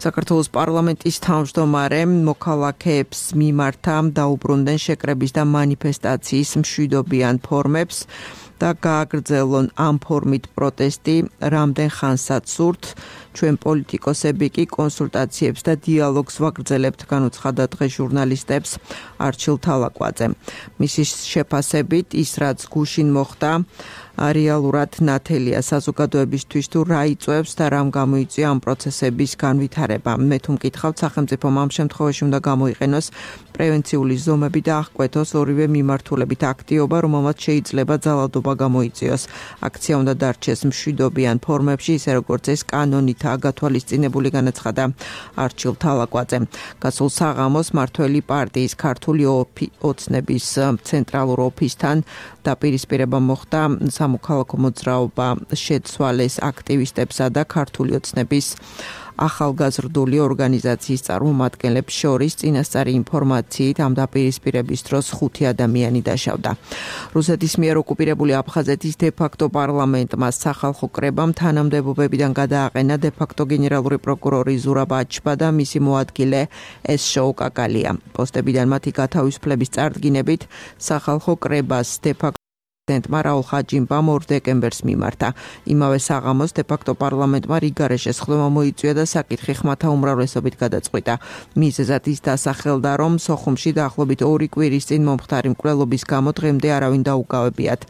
საქართველოს პარლამენტის თავმჯდომარე მოქალაქეებს მიმართა დაუბრუნდნენ შეკრების და მანიფესტაციის მშვიდობიან ფორმებს და გააგრძელონ ამ ფორმით პროტესტი რამდენ ხანსაც სურთ. ჩვენ პოლიტიკოსები კი კონსულტაციებს და დიალოგს ვაგრძელებთ, განუცხადა დღეს ჟურნალისტებს არჩილ თალაკვაძე. მისი შეფასებით ის რაც გუშინ მოხდა რეალურად ნათელია საზოგადოებისთვის თუ რა იწვევს და რამ გამოიწვია ამ პროცესების განვითარება. მე თუ მკითხავთ, სახელმწიფომ ამ შემთხვევაში უნდა გამოიყენოს პრევენციული ზომები და აღკვეთოს ორივე მიმართულებით აქტიობა, რომელმაც შეიძლება ძალადობა გამოიწვიოს. აქცია უნდა დარჩეს მშვიდობიან ფორმებში, ისე როგორც ეს კანონითაა გათვალისწინებული, განაცხადა არჩილ თალაკვაძე. გასულ საღამოს მართველი პარტიის ქართული ოცნების ცენტრალურ ოფისთან დაპირისპირება მოხდა სამოქალაქო მოძრაობა შეცვალეს აქტივისტებსა და ქართული ოცნების ახალგაზრდული ორგანიზაციის წარმომადგენლებს შორის. წინასწარი ინფორმაციით ამ დაპირისპირების დროს 5 ადამიანი დაშავდა. რუსეთის მიერ ოკუპირებული აფხაზეთის დე-ფაქტო პარლამენტმა სახალხო კრებამ თანამდებობებიდან გადააყენა დე-ფაქტო გენერალური პროკურორი ზურაბ აჩბა და მისი მოადგილე ესშოუ კაკალია. პოსტებიდან მათი გათავისუფლების წარდგინებით სახალხო კრებას დე-ფაქტო პრეზიდენტმა რაულ ხაჯიმბამ 2 დეკემბერს მიმართა. იმავე საღამოს დე-ფაქტო პარლამენტმა რიგარე შესხდომა მოიწვია და საკითხი ხმათა უმრავლესობით გადაწყვიტა. მიზეზად ის დასახელდა, რომ სოხუმში დაახლოებით 2 კვირის წინ მომხდარი მკვლელობის გამო დღემდე არავინ დაუკავებიათ.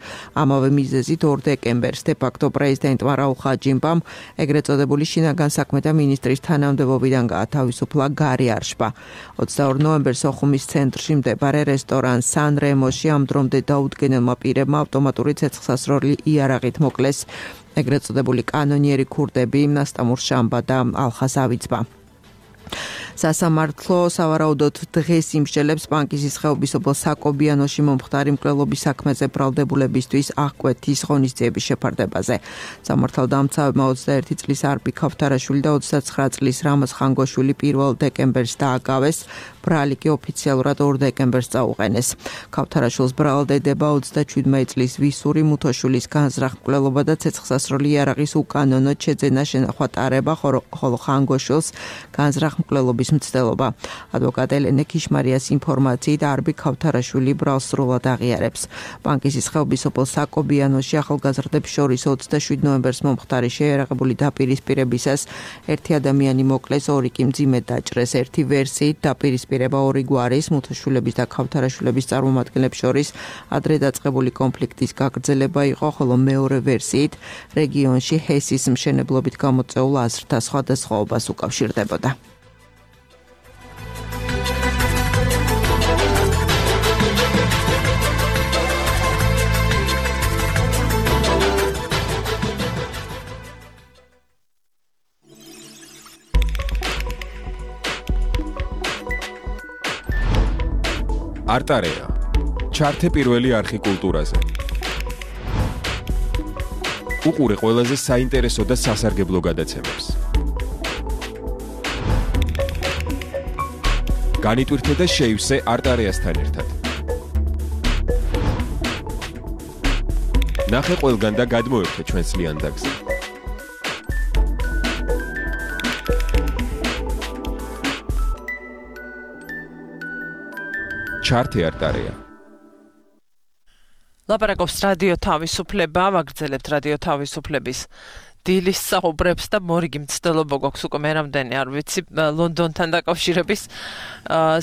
ამავე მიზეზით 2 დეკემბერს დე-ფაქტო პრეზიდენტმა რაულ ხაჯიმბამ ეგრეთ წოდებული შინაგან საქმეთა მინისტრის თანამდებობიდან გაათავისუფლა გარი არშბა. 22 ნოემბერს სოხუმის ცენტრში მდებარე რესტორან სან რემოში ამ დრომდე დაუდგენელმა პირებმა ავტომატური ცეცხლსასროლი იარაღით მოკლეს ეგრეთ წოდებული კანონიერი ქურდები ნასტამურ შამბა და ალხას ავიცბა. სასამართლო სავარაუდოდ დღეს იმსჯელებს პანკისის ხეობის ობოლ საკობიანოში მომხდარი მკვლელობის საქმეზე ბრალდებულებისთვის აღკვეთის ღონისძიების შეფარდებაზე. სამართალდამცავებმა 21 წლის არბი ქავთარაშვილი და 29 წლის რამაზ ხანგოშვილი 1 დეკემბერს დააგავეს, ბრალი კი ოფიციალურად 2 დეკემბერს წაუყენეს. ქავთარაშვილს ბრალდება 27 წლის ვისური მუთოშვილის განზრახ მკვლელობა და ცეცხლსასროლი იარაღის უკანონოდ შეძენა შენახვა ტარება, ხოლო ხანგოშვილს განზრახ მკვლელობის მცდელობა. ადვოკატ ელენე ქიშმარიას ინფორმაციით არბი ქავთარაშვილი ბრალს სრულად აღიარებს. პანკისის ხეობის ობოლ საკობიანოში ახალგაზრდებს შორის 27 ნოემბერს მომხდარი შეიარაღებული დაპირისპირებისას ერთი ადამიანი მოკლეს, 2 კი მძიმედ დაჭრეს. ერთი ვერსიით დაპირისპირება 2 გვარის მუთოშვილების და ქავთარაშვილების წარმომადგენლებს შორის ადრე დაწყებული კონფლიქტის გაგრძელება იყო, ხოლო მეორე ვერსიით რეგიონში ჰესის მშენებლობით გამოწვეულ აზრთა სხვადასხვაობას უკავშირდებოდა. არტარეა. ჩართე პირველი არხი კულტურაზე. უყურე ყველაზე საინტერესო და სასარგებლო გადაცემებს. განიტვირთე და შეივსე არტარეასთან ერთად. ნახე ყველგან და გადმოერთე ჩვენს ლიანდაგზე. ჩართე არტარეა. ლაპარაკობს რადიო თავისუფლება, ვაგრძელებთ რადიო თავისუფლების დილის საუბრებს და მორიგი მცდელობა გვაქვს უკვე მე რამდენი არ ვიცი ლონდონთან დაკავშირების,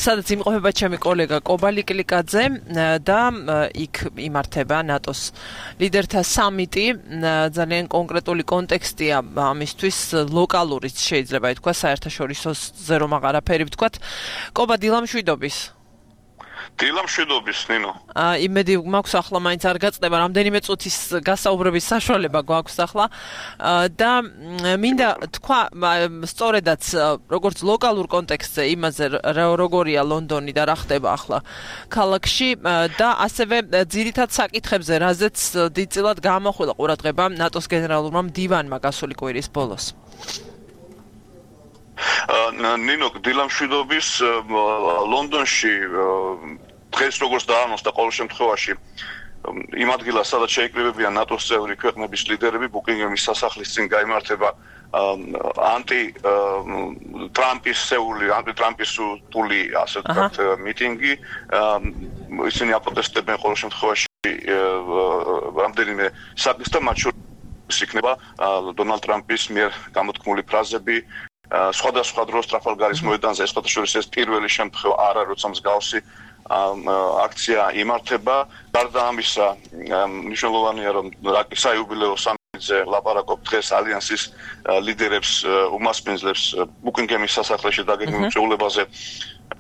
სადაც იმყოფება ჩემი კოლეგა კობა ლიკლიკაძე და იქ იმართება ნატოს ლიდერთა სამიტი, ძალიან კონკრეტული კონტექსტია ამისთვის, ლოკალურიც შეიძლება ითქვა, საერთაშორისოზე რომ აღარაფერი ვთქვათ. კობა, დილამშვიდობის. დილამშვიდობის, ნინო. იმედი მაქვს ახლა მაინც არ გაწდება, რამდენიმე წუთის გასაუბრების საშუალება გვაქვს ახლა და მინდა თქვა სწორედაც როგორც ლოკალურ კონტექსტზე იმაზე როგორია ლონდონი და რა ხდება ახლა ქალაქში და ასევე ძირითად საკითხებზე, რაზეც დიდწილად გამოხვილა ყურადღება ნატოს გენერალურმა მდივანმა გასული კვირის ბოლოს. ნინო, დილამშვიდობის. ლონდონში დღეს როგორც დაანონსდა ყოველ შემთხვევაში იმ ადგილას, სადაც შეიკრიბებიან ნატოს წევრი ქვეყნების ლიდერები, ბუკინგემის სასახლის წინ გაიმართება ანტიტრამპისტული ასე ვთქვათ მიტინგი. ისინი აპროტესტებენ ყოველ შემთხვევაში რამდენიმე საკითხს და მათ შორის იქნება დონალდ ტრამპის მიერ გამოთქმული ფრაზები. სხვადასხვა დროს ტრაფალგარის მოედანზე შესაძლოა ეს პირველი შემთხვევა არ არის, როცა მსგავსი აქცია იმართება. გარდა ამისა, მნიშვნელოვანია, რომ საიუბილეო სამიტზე ლაპარაკობ დღეს ალიანსის ლიდერებს უმასპინძლებს ბუკინგემის სასახლეში დაგეგმილ წვეულებაზე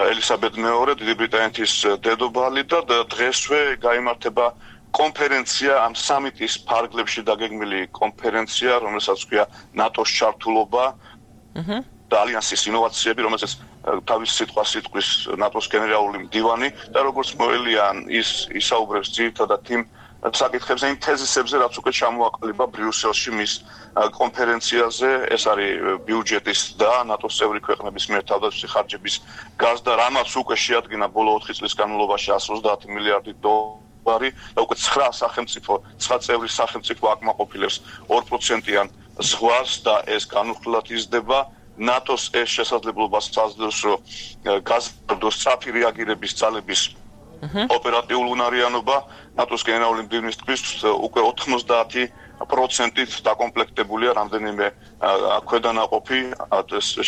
ელისაბედ მეორე, დიდი ბრიტანეთის დედოფალი და დღესვე გაიმართება კონფერენცია, ამ სამიტის ფარგლებში დაგეგმილი კონფერენცია, რომელსაც ქვია ნატოს ჩართულობა და ალიანსის ინოვაციები, რომელსაც თავის სიტყვას იტყვის ნატოს გენერალური მდივანი და როგორც მოელია ის ისაუბრებს ძირითადად იმ საკითხებზე, იმ თეზისებზე, რაც უკვე ჩამოაყალიბა ბრიუსელში მის კონფერენციაზე. ეს არის ბიუჯეტის და ნატოს წევრი ქვეყნების მიერ თავდაცვითი ხარჯების გაზრდა, რამაც უკვე შეადგინა ბოლო 4 წლის განმავლობაში 130 მილიარდი დოლარი და უკვე 9 წევრი სახელმწიფო აკმაყოფილებს 2%-იან ზღვარს და ეს განუხლად იზრდება. ნატოს ეს შესაძლებლობას აძლევს, რომ გაზრდოს სწრაფი რეაგირების ძალების ოპერატიული უნარიანობა. ნატოს გენერალური მდივნის თქმის, უკვე 90%-ით დაკომპლექტებულია რამდენიმე ქვედანაყოფი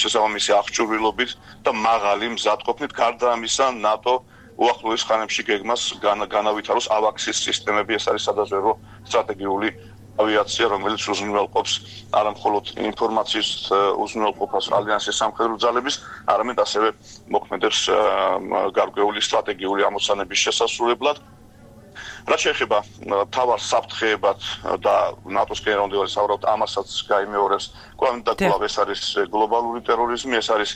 შესაბამისი აღჭურვილობით და მაღალი მზადყოფნით. გარდა ამისა, ნატო უახლოეს ხანებში გეგმას განავითაროს ავაქსის სისტემები. ეს არის სადაზვერვო სტრატეგიული ავიაცია, რომელიც უზრუნველყოფს არა მხოლოდ ინფორმაციის უზრუნველყოფას ალიანსის სამხედრო ძალების, არამედ ასევე მოქმედებს გარკვეული სტრატეგიული ამოცანების შესასრულებლად. რაც შეეხება თავარ საფრთხეებად და ნატოს გენერალ-მდივანი საუბრობთ ამასაც გაიმეორებს კვლავ ეს არის გლობალური ტერორიზმი ეს არის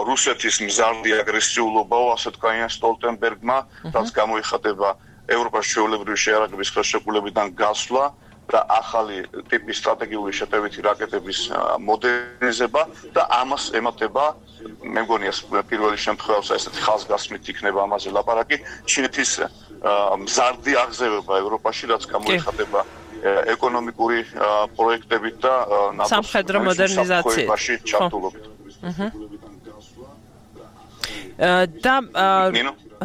რუსეთის მზარდი აგრესიულობაო ასე თქვა სტოლტენბერგმა რაც გამოიხატება ევროპაში ჩვეულებრივი შეიარაღების ხელშეკრულებიდან გასვლა და ახალი ტიპის სტრატეგიული შეტევითი რაკეტების მოდერნიზება და ამას ემატება მე მგონია პირველი შემთხვევაში ესეთი ხაზგასმით იქნება ამაზე ლაპარაკი ჩინეთის მზარდი აღზევება ევროპაში რაც გამოიხატება ეკონომიკური პროექტებით და სამხედრო მოდერნიზაციით ჩართულობით და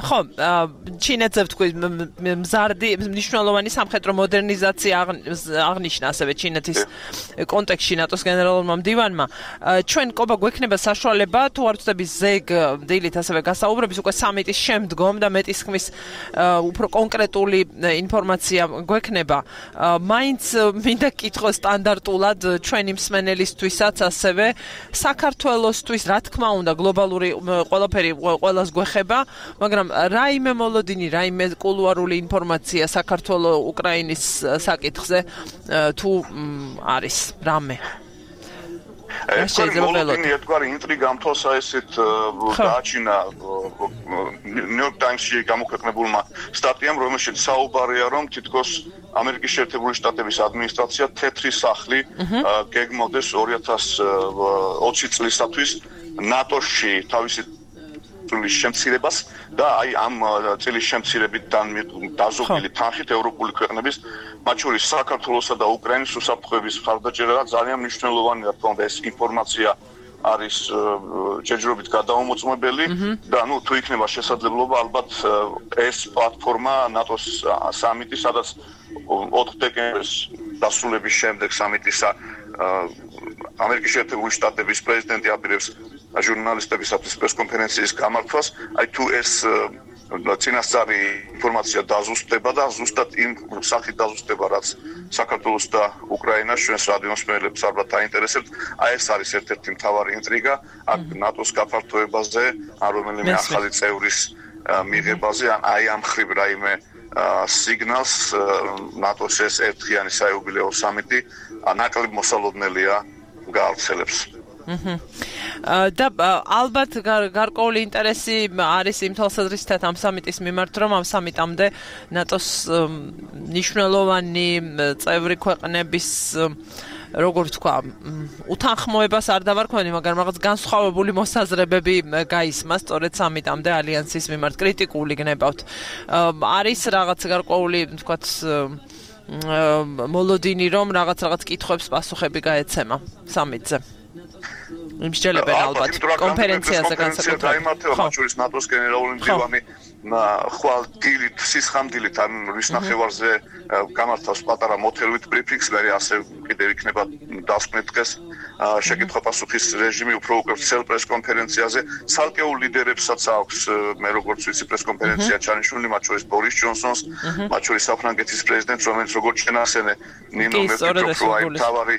ხო ჩინეთზე ვთქვი მზარდი მნიშვნელოვანი სამხედრო მოდერნიზაცია აღნიშნა ასევე ჩინეთის კონტექსტში ნატოს გენერალურმა მდივანმა ჩვენ ყობა გვექნება საშუალება თუ არ ვწდები ზეგ დილით ასევე გასაუბრების უკვე სამიტის შემდგომ და მეტის ხმის უფრო კონკრეტული ინფორმაცია გვექნება მაინც მინდა კითხო სტანდარტულად ჩვენი მსმენელისთვისაც ასევე საქართველოსთვის რა თქმა უნდა გლობალური ყველაფერი ყველას გვეხება მაგრამ რაიმე მოლოდინი, რაიმე კულუარული ინფორმაცია საქართველოს უკრაინის საკითხზე თუ არის რამე. მოლოდინი ერთგვარი ინტრიგა მთლსა ესეთ დააჩინა ნიუ-იორკ ტაიმსში გამოქვეყნებულმა სტატიამ, რომელშიც საუბარია, რომ თითქოს ამერიკის შეერთებული შტატების ადმინისტრაცია თეთრი სახლი გეგმავდეს 2020 წლისათვის ნატოში თავისი შემცირებას და აი ამ წილის შემცირებიდან დაზოგვილი თანხით ევროპული ქვეყნების მათ შორის საქართველოსა და უკრაინის უსაფრთხოების მხარდაჭერა ძალიან მნიშვნელოვანია თქო ეს ინფორმაცია არის ჯერჯერობით გადაუმოწმებელი და თუ იქნება შესაძლებლობა ალბათ ეს პლატფორმა ნატოს სამიტი სადაც 4 დეკემბრის დასრულების შემდეგ სამიტისა ამერიკის შეერთებული შტატების პრეზიდენტი აპირებს ჟურნალისტებისათვის პრესკონფერენციის გამართვას, აი თუ ეს წინასწარი ინფორმაცია დაზუსტდება და ზუსტად იმ სახით დაზუსტდება, რაც საქართველოს და უკრაინას ჩვენს რადიოს მსმენელებს ალბათ აინტერესებთ, აი ეს არის ერთ-ერთი მთავარი ინტრიგა, აქ ნატოს გაფართოებაზე, ან რომელიმე ახალი წევრის მიღებაზე, ან აი ამ ხრივ რაიმე სიგნალს ნატოს ეს ერთხიანი საიუბილეო სამიტი ნაკლებ მოსალოდნელია გაავრცელებს. და ალბათ გარკვეული ინტერესი არის იმ თვალსაზრისით ამ სამიტის მიმართ, რომ ამ სამიტამდე ნატოს მნიშვნელოვანი წევრი ქვეყნების როგორ თქვა, უთანხმოებას არ დავარქვენი, მაგრამ რაღაც განსხვავებული მოსაზრებები გაისმა სწორედ სამიტამდე ალიანსის მიმართ კრიტიკული გნებავთ. არის რაღაც გარკვეული, თქვათ, მოლოდინი, რომ რაღაც კითხვებს პასუხები გაეცემა სამიტზე. იმსჯელებენ ალბათ კონფერენციაზე განსაკუთრებით. გაიმართება მათ შორის ნატოს გენერალური მდივანი ხვალ დილით სისხამდილით ამ რის ნახევარზე გამართავს პატარა მოთელვით ბრიფინგს, მე ასე კიდევ იქნება დასკვნით დღეს შეკითხვა-პასუხის რეჟიმი უფრო უკვე ვრცელ პრესკონფერენციაზე. ცალკეულ ლიდერებსაც აქვს მე როგორც ვიცი პრესკონფერენცია ჩანიშნული, მათ შორის ბორის ჯონსონს, მათ შორის საფრანგეთის პრეზიდენტს, რომელიც როგორც შენახსენე ნინო მერკელი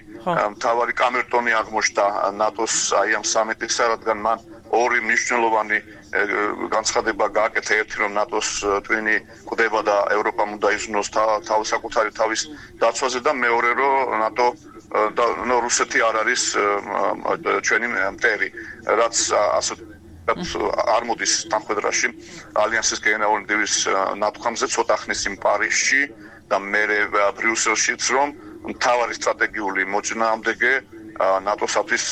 მთავარი კამერტონი აღმოჩნდა ნატოს აი ამ სამიტისა, რადგან მან ორი მნიშვნელოვანი განცხადება გააკეთა, ერთი რომ ნატოს ტვინი კვდება და ევროპამ უნდა იზრუნოს საკუთარი თავის დაცვაზე და მეორე რომ ნატო და რუსეთი არ არის ჩვენი მტერი, რაც ასე არ მოდის თანხმედრაში ალიანსის გენერალური მდივნის ნათქვამზე ცოტა ხნის იმ პარიზში და მერე ბრიუსელშიც რომ მთავარი სტრატეგიული მოწინააღმდეგე ნატოსათვის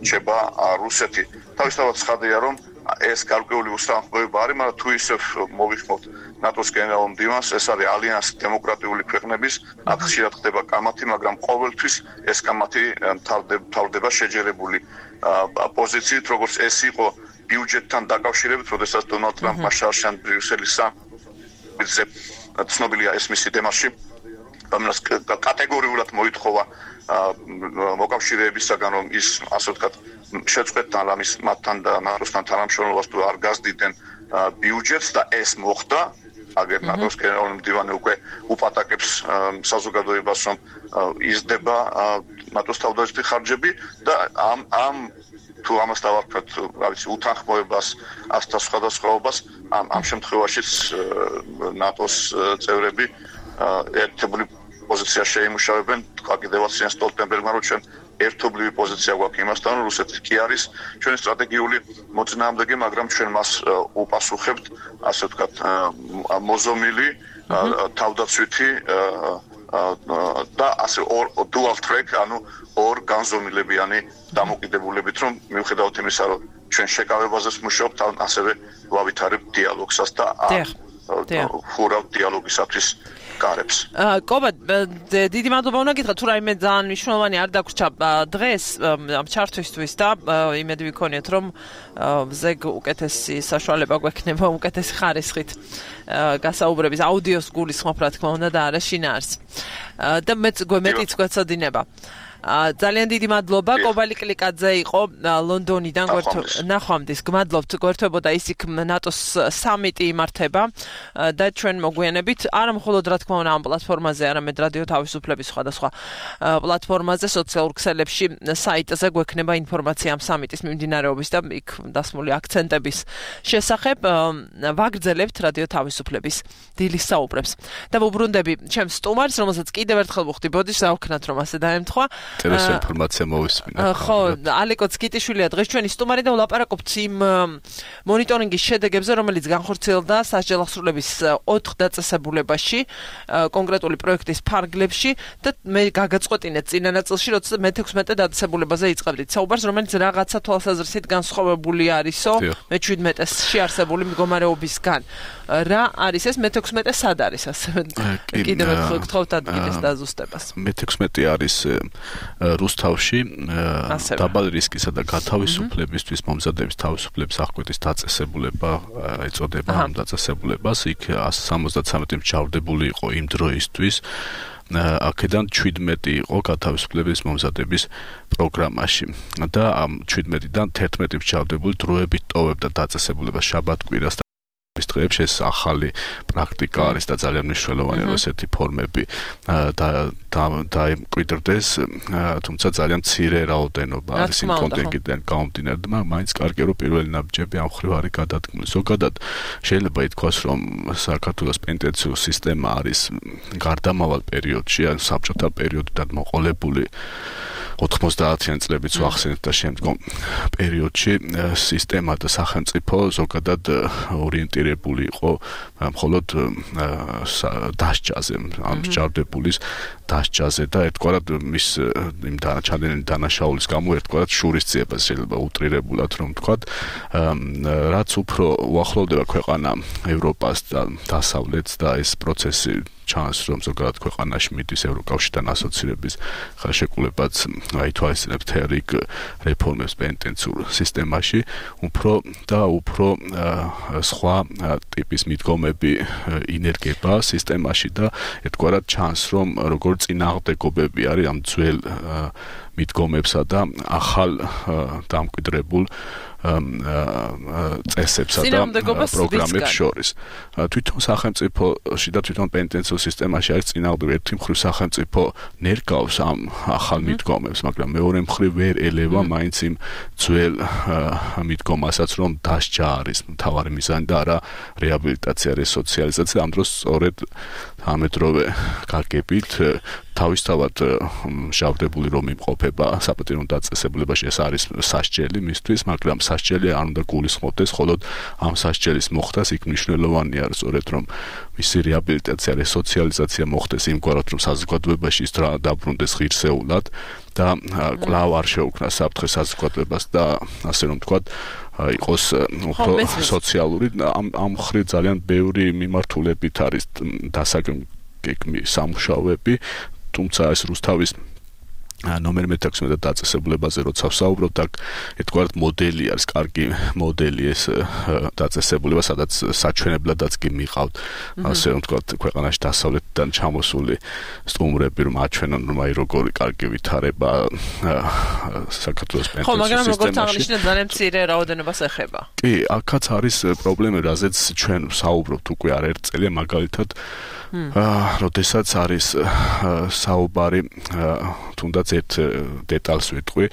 რჩება რუსეთი. თავისთავად ცხადია რომ ეს გარკვეული უსამართლობა არის, მაგრამ თუ ისევ მოვიხმობთ ნატოს გენერალურ მდივანს, ეს არის ალიანსი დემოკრატიული ქვეყნების, აქ ხშირად ხდება კამათი, მაგრამ ყოველთვის ეს კამათი მთავრდება შეჯერებული პოზიციით, როგორც ეს იყო ბიუჯეტთან დაკავშირებით, როდესაც დონალდ ტრამპმა შარშან ბრიუსელის სამიტზე ცნობილია ეს მისი დემარში, რომელიც კატეგორიულად მოითხოვა მოკავშირეებისაგან, რომ ის ასე ვთქვათ შეწყვეტთან ამის მათთან და ნატოსთან თანამშრომლობას თუ არ გაზრდიდნენ ბიუჯეტს და ეს მოხდა. აგერ ნატოს გენერალური მდივანი უკვე უპატაკებს საზოგადოებას, რომ იზრდება ნატოს თავდაცვითი ხარჯები და ამ თუ ამას დავარქვათ, რა ვიცი, უთანხმოებას, ასთა სხვადასხვაობას, ამ შემთხვევაშიც ნატოს წევრები ერთობლივ პოზიცია შეიმუშავებენ, თქვა კიდევაც იენს სტოლტენბერგმა, რომ ჩვენ ერთობლივი პოზიცია გვაქვს იმასთან, რომ რუსეთი კი არის ჩვენი სტრატეგიული მოწინააღმდეგე, მაგრამ ჩვენ მას უპასუხებთ, ასე ვთქვათ, მოზომილი, თავდაცვითი და ასე dual track, ანუ ორ განზომილებიანი დამოკიდებულებით, რომ მიუხედავად იმისა, რომ ჩვენ შეკავებაზეც მუშაობთ, ასევე ვლავითარებთ დიალოგსაც და ხურავთ დიალოგისათვის კარებს. კობა, დიდი მადლობა უნდა გითხრათ, თუ რაიმე ძალიან მნიშვნელოვანი არ დაგვრჩა დღეს ამ ჩართვისთვის და იმედი ვიქონიათ, რომ ზეგ უკეთესი საშუალება გვექნება უკეთესი ხარისხით გასაუბრების აუდიოს გულისხმობ, რა თქმა უნდა, და არა შინაარს. და მეტიც გვეცოდინება. ძალიან დიდი მადლობა. კობალი კლიკაძე იყო ლონდონიდან ნახვამდის. გმადლობთ, გვერდებოდა ის იქ ნატოს სამიტი იმართება და ჩვენ მოგვიანებით არა მხოლოდ რა თქმა უნდა ამ პლატფორმაზე, არამედ რადიო თავისუფლების სხვადასხვა პლატფორმაზე, სოციალურ ქსელებში, საიტზე გვექნება ინფორმაცია ამ სამიტის მიმდინარეობის და იქ დასმული აქცენტების შესახებ. ვაგრძელებთ რადიო თავისუფლების დილის საუბრებს. და ვუბრუნდები ჩემს სტუმარს, რომელსაც კიდევ ერთხელ ვუხდი, ბოდიშს აუქნათ, რომ ასე დაემთხვა. ტერესო ინფორმაცია მოვისმინე. ხო, ალეკო ცკიტიშვილია დღეს ჩვენი სტუმარი და ვლაპარაკობთ იმ მონიტორინგის შედეგებზე, რომელიც განხორციელდა სასჯელახსრულების 4 დაწესებულებაში, კონკრეტული პროექტის ფარგლებში და მე გაგაწყვეტინეთ წინა ნაწილში, როცა მე-16 დაწესებულებაზე იწყებდით საუბარს, რომელიც რაღაცა თვალსაზრისით განსხვავებული არისო, მე-17-ში არსებული მდგომარეობისგან. რა არის ეს მე-16 სად არის ასე? კიდევ ერთხელ გთხოვთ ადგილის დაზუსტებას. მე-16 არის რუსთავში დაბალი რისკისა და გათავისუფლებისთვის მომზადების თავისუფლების აღკვეთის დაწესებულება ეწოდება ამ დაწესებულებას. იქ 173 მჯავრდებული იყო იმ დროისთვის. აქედან 17 იყო გათავისუფლების მომზადების პროგრამაში და ამ 17-დან 11 მჯავრდებული დროებით ტოვებდა დაწესებულებას შაბათ-კვირას დღეებში. ეს ახალი პრაქტიკა არის და ძალიან მნიშვნელოვანი, რომ ესეთი ფორმები დაემკვიდრდეს, თუმცა ძალიან მცირე რაოდენობა არის იმ კონტინგენტიდან გამომდინარე და მაინც კარგია, რომ პირველი ნაბიჯები ამ მხრივ არის გადადგმული. ზოგადად შეიძლება ითქვას, რომ საქართველოს პენტენციურ სისტემა არის გარდამავალ პერიოდში, ან საბჭოთა პერიოდიდან მოყოლებული 90-იანი წლებიც ვახსენეთ და შემდგომ პერიოდში სისტემა და სახელმწიფო ზოგადად ორიენტირებული იყო მხოლოდ დასჯაზე, ამ მსჯავრდებულის დასჯაზე და ერთგვარად მის იმ დანაშაულის გამო ერთგვარად შურისძიებას შეიძლება უტრირებულად რომ ვთქვათ, რაც უფრო უახლოვდება ქვეყანა ევროპას და დასავლეთს და ეს პროცესი ჩანს, რომ ზოგადად ქვეყანაში მიდის ევროკავშირთან ასოცირების ხელშეკრულებაც აითვალისწინებს თერიგ რეფორმებს პენტენციურ სისტემაში, უფრო სხვა ტიპის მიდგომები ინერგება სისტემაში და ერთგვარად ჩანს, რომ როგორ წინააღმდეგობები არის ამ ძველ მიდგომებსა და ახალ დამკვიდრებულ წესებსა და პროგრამებს შორის. თვითონ სახელმწიფოში და თვითონ პენტენციურ სისტემაში არის წინააღმდეგობა. ერთი მხრივ სახელმწიფო ნერგავს ამ ახალ მიდგომებს, მაგრამ მეორე მხრივ ვერ ელევა მაინც იმ ძველ მიდგომასაც, რომ დასჯა არის მთავარი მიზანი და არა რეაბილიტაცია, რესოციალიზაცია. ამ დროს სწორედ ამედროვე გაგებით თავისთავად მჟავრდებული რომ იმყოფება საპატიო დაწესებულებაში, ეს არის სასჯელი მისთვის, მაგრამ სასჯელი არ უნდა გულისხმობდეს, მხოლოდ ამ სასჯელის მოხდას იქ მნიშვნელოვანია სწორედ რომ მისი რეაბილიტაცია, რესოციალიზაცია მოხდეს იმგვარად, რომ საზოგადოებაში ის დაბრუნდეს ღირსეულად და კვლავ არ შეუქმნას საფრთხე საზოგადოებას და ასე რომ ვთქვათ, იყოს უფრო სოციალური. ამ მხრივ ძალიან ბევრი მიმართულებით არის დასაგეგმი სამუშაოები, თუმცა ეს რუსთავის ნომერ მე-16 დაწესებულებაზე როცა ვსაუბრობთ, აქ ერთგვარად მოდელი არის, კარგი მოდელი ეს დაწესებულება, სადაც საჩვენებლადაც კი მიყავთ, ასე რომ ვთქვათ, ქვეყანაში დასავლეთიდან ჩამოსული სტუმრები, რომ აჩვენონ, რომ აი როგორი კარგი ვითარება საქართველოს პენტენციურ სისტემაში. ხო, მაგრამ როგორც აღნიშნეთ, ძალიან მცირე რაოდენობას ეხება. კი, აქაც არის პრობლემა, რაზეც ჩვენ ვსაუბრობთ უკვე არაერთ წელია, მაგალითად როდესაც არის საუბარი თუნდაც სადღაც ერთ დეტალს ვიტყვი,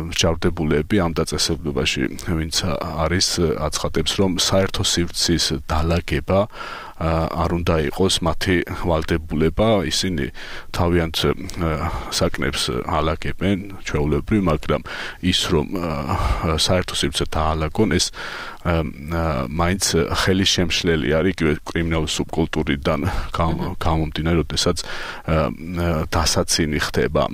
მჟავრდებულები ამ დაწესებულებაში, ვინც არის აცხადებს, რომ საერთო სივრცის დალაგება არ უნდა იყოს მათი ვალდებულება, ისინი თავიანთ საკნებს ალაგებენ ჩვეულებრივ, მაგრამ ის რომ საერთო სივრცე დაალაგონ, ეს მაინც ხელის შემშლელი არის იგივე კრიმინალური სუბკულტურიდან გამომდინარე, როდესაც დასაცინი ხდება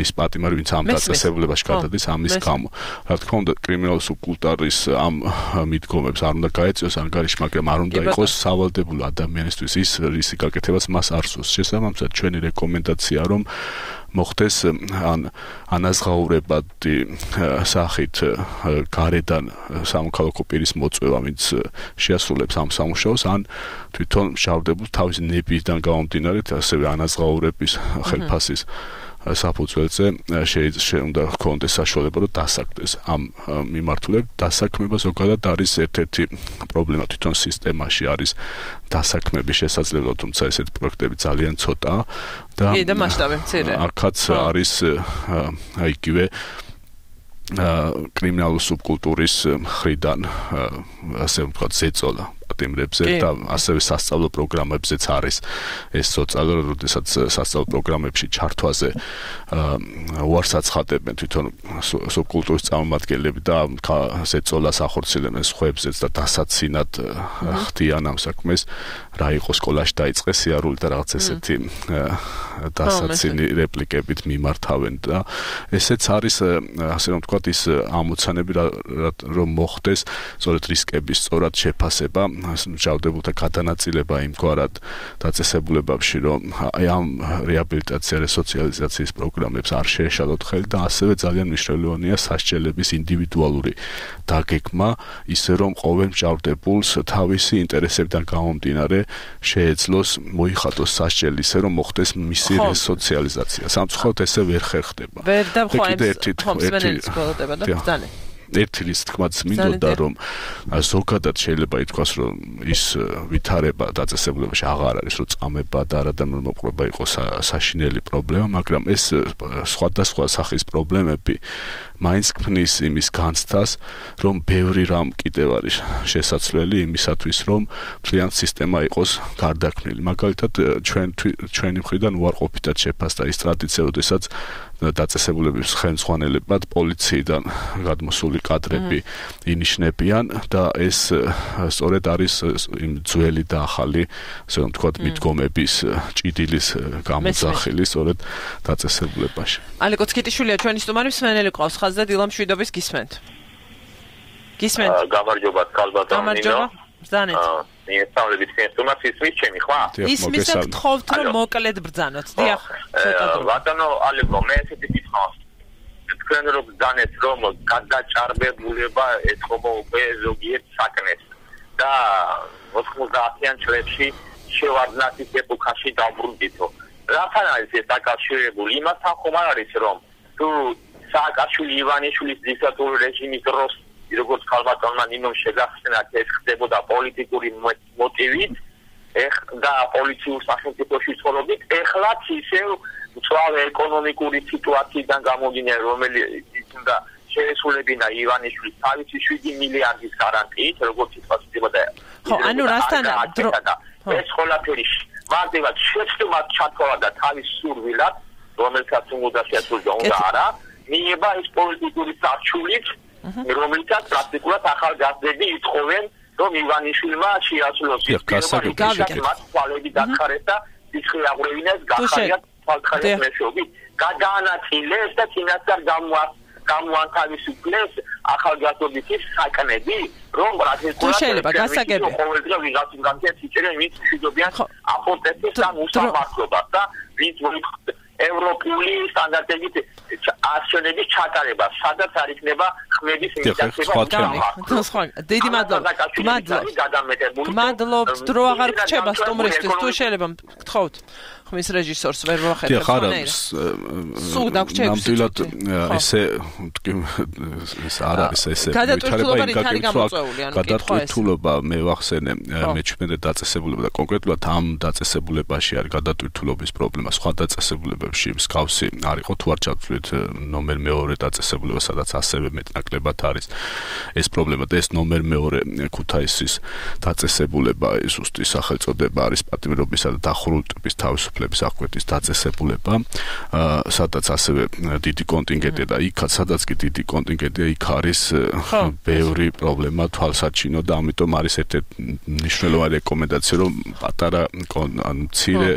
ის პატიმარი, ვინც ამ დაწესებულებაში გადადის ამის გამო. რა თქმა უნდა, კრიმინალური სუბკულტურის ამ მიდგომებს არ უნდა გაეწიოს ანგარიში, მაგრამ არ უნდა იყოს სავალდებულო ადამიანისთვის ის რისი გაკეთებას მას არ სურს. შესაბამისად, ჩვენი რეკომენდაცია რომ მოხდეს ანაზღაურებადი სახით გარედან სამოქალაქო პირის მოწვევა, ვინც შეასრულებს ამ სამუშაოს, ან თვითონ მჟავრდებულ თავის ნებისგან გამომდინარე, ასევე ანაზღაურების ხელფასის საფუძველზე უნდა ჰქონდეს საშუალება, რომ დასაქმდეს ამ მიმართულებით. დასაქმება ზოგადად არის ერთ-ერთი პრობლემა თვითონ სისტემაში არის დასაქმების შესაძლებლობა, თუმცა ესეთი პროექტები ძალიან ცოტაა და მასშტაბი მცირე. აქაც არის იგივე კრიმინალური სუბკულტურის მხრიდან ასე ვთქვათ ზეწოლა პატიმრებზე და ასევე სასწავლო პროგრამებზეც არის ეს ზეწოლა, როდესაც სასწავლო პროგრამებში ჩართვაზე უარს აცხადებენ თვითონ სუბკულტურის წარმომადგენლები და ზეწოლას ახორციელებენ სხვებზეც და დასაცინად ხდიან ამ საქმეს, რა იყო სკოლაში დაიწყეს სიარული და რაღაც ესეთი დასაცინი რეპლიკებით მიმართავენ და ესეც არის ასე რომ ვთქვათ ის ამოცანები რომ მოხდეს სწორედ რისკების სწორად შეფასება, მჟავრდებულთა გადანაწილება იმგვარად დაწესებულებებში, რომ აი ამ რეაბილიტაცია რესოციალიზაციის პროგრამებს არ შეეშალოთ ხელი და ასევე ძალიან მნიშვნელოვანია სასჯელების ინდივიდუალური დაგეგმა, ისე რომ ყოველ მჟავრდებულს თავისი ინტერესებიდან გამომდინარე შეეძლოს მოიხატოს სასჯელი, ისე რომ მოხდეს მისი რესოციალიზაცია. სამწუხაროდ ესე ვერ ხერხდება. ვერ და ერთი რის თქმაც მინდოდა, რომ ზოგადად შეიძლება ითქვას, რომ ის ვითარება დაწესებულებაში აღარ არის, რომ წამება და არადამე მოპყრობა იყოს საშინელი პრობლემა, მაგრამ ეს სხვადასხვა სახის პრობლემები მაინც ქმნის იმის განცდას, რომ ბევრი რამ კიდევ არის შესაძლებელი იმისათვის, რომ მთლიან სისტემა იყოს გარდაქმნილი. მაგალითად, ჩვენი მხრიდან უარყოფითად შეფასდა ის ტრადიცია, როდესაც დაწესებულების ხელმძღვანელებად პოლიციიდან გადმოსული კადრები ინიშნებიან და ეს სწორედ არის იმ ძველი და ახალი, ასე რომ ვთქვათ, მიდგომების ჭიდილის გამოძახილი სწორედ დაწესებულებაში. ალეკო ცკიტიშვილია ჩვენი სტუმარი, მსმენელი ყავს ხაზზე, დილა მშვიდობის გისმენთ. გამარჯობათ, ქალბატონო ნინო. ბრძანეთ. მიესწავლებით ინსტრუმენტის ვიჩემი, ხო? ისმის აქ თხოვთ, რომ მოკლედ ბრძანოთ. დიახ, ცოტა დრო. ბატონო ალეკო, მე ესეთი გითხოვს. თქვენ რომ ბრძანეთ, რომ გადაჭარბებულება ეთქობა უკვე ზოგიერთ საკნეს და 90-იან წლებში შევარდნათის ეპოქაში დაბრუნდითო. რასთან არის ეს დაკავშირებული? იმასთან ხომ არ არის, რომ თუ სააკაშვილი ივანიშვილის დიქტატურული რეჟიმის დროს როგორც ქალბატონმა ნინომ შეგახსენათ, ეს ხდებოდა პოლიტიკური მოტივით და პოლიციურ სახელმწიფოში ცხოვრობით, ეხლაც ისევ მწვავე ეკონომიკური სიტუაციიდან გამომდინარე, რომელიც უნდა შეესრულებინა ივანიშვილის თავისი 7 მილიარდის გარანტიით, როგორც ითქვასებოდა. ხო, ანუ რასთან ეს ყველაფერი მარტივად შეცდომად ჩათვალა და თავის სურვილად, რომელსაც უნდა შეასრულოს უნდა არა, მიება ეს პოლიტიკური სარჩულით, რომელსაც პრაქტიკულად ახალგაზრდები ითხოვენ, რომ ივანიშვილმა შეასრულოს ის მათ თვალები დახარეს და სიცხე აღვრევინეს გახარიათ თვალხარიათ მეშვეობით. გადაანაწილეს და წინასწარ გამოანთავისუფლეს ახალგაზრდობის საკნები, რომ პრაქტიკულად ყოველდღე ვიღაცის განცდებს იჭერენ, ვინც მშვიდობიან აპოტენტის ან უსამართლობას და ვინც ევროპული სტანდარტებით აქციონების ჩატარება, სადაც არ იქნება ხმების მიტაცება. დიდი მადლობა. გმადლობთ, დრო აღარ გრჩება სტუმრისთვის, თუ შეიძლება გთხოვთ. ხმის რეჟისორს ვერ ვახედავ ხანერა. სულ დაგვრჩები. ნამდვილად ესე ეს არ არის ესე. გადატვირთულობა მე ვახსენე მე-17 დაწესებულება და კონკრეტულად ამ დაწესებულებაში არის გადატვირთულობის პრობლემა. სხვა დაწესებულებებში მსგავსი არ იყო თუ არ ჩავთვლით ნომერ მეორე დაწესებულება, სადაც ასევე მეტნაკლებად არის ეს პრობლემა და ეს ნომერ მეორე ქუთაისის დაწესებულება ზუსტი სახელწოდება არის პატიმრობისა და დახურული ტიპის თავისუფლების აღკვეთის დაწესებულება, სადაც ასევე დიდი კონტინგენტია და იქაც სადაც კი დიდი კონტინგენტია, იქ არის ბევრი პრობლემა თვალსაჩინო და ამიტომ არის ერთ-ერთი მნიშვნელოვანი რეკომენდაცია, რომ პატარა მცირე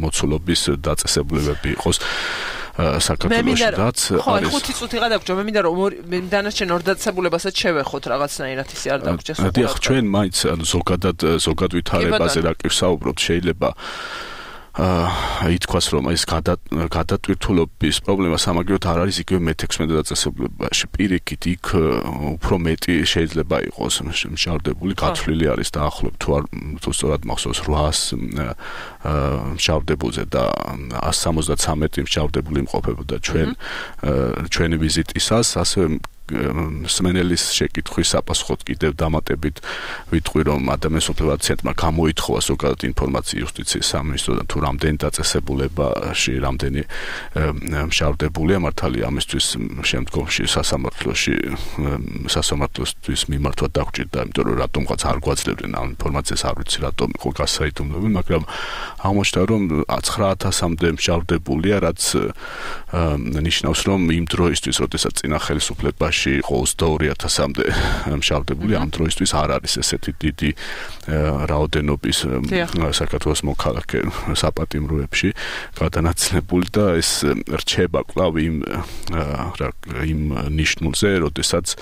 მოცულობის დაწესებულებები იყოს საქართველოში რაც არის. ხო, 5 წუთი გადაგჭო. მე მინდა რომ დანარჩენ ორ დაწესებულებასაც შევეხოთ რაღაცნაირად ისე არ დაგჭეს. დიახ, ჩვენ მაინც ზოგად ვითარებაზე რა კი ვსაუბრობთ, შეიძლება ითქვას რომ ეს გადატვირთულობის პრობლემა სამაგიეროდ არ არის იგივე მე-16 დაწესებულებაში. პირიქით იქ უფრო მეტი შეიძლება იყოს მშავდებული, გათვლილი არის დაახლოებით თუ სწორად მახსოვს 800 მშავდებულზე და 173 მშავდებული იმყოფებოდა ჩვენი ვიზიტისას, ასევე სმენელის შეკითხვის საპასუხოდ კიდევ დამატებით ვიტყვი რომ ადამიანის უფლებათა ცენტრმა გამოითხოვა ზოგადად ინფორმაცია იუსტიციის სამინისტროდან თუ რამდენი დაწესებულებაში რამდენი მშავდებულია მართალია ამისთვის შემდგომში სასამართლოსთვის მიმართვა დაგვჭირდა იმიტომ რომ რატომღაც არ გვაძლევდნენ ამ ინფორმაციას არ ვიცი რატომ იყო გასაიდუმლოები მაგრამ აღმოჩნდა რომ 9000-მდე მშავდებულია რაც ნიშნავს რომ იმ დროისთვის როდესაც წინა ხელისუფლებაში იყო 22,000-მდე მშავდებული ამ დროისთვის არ არის ესეთი დიდი რაოდენობის საქართველოს მოქალაქე საპატიმროებში გადანაწილებული და ეს რჩება კვლავ იმ ნიშნულზე როდესაც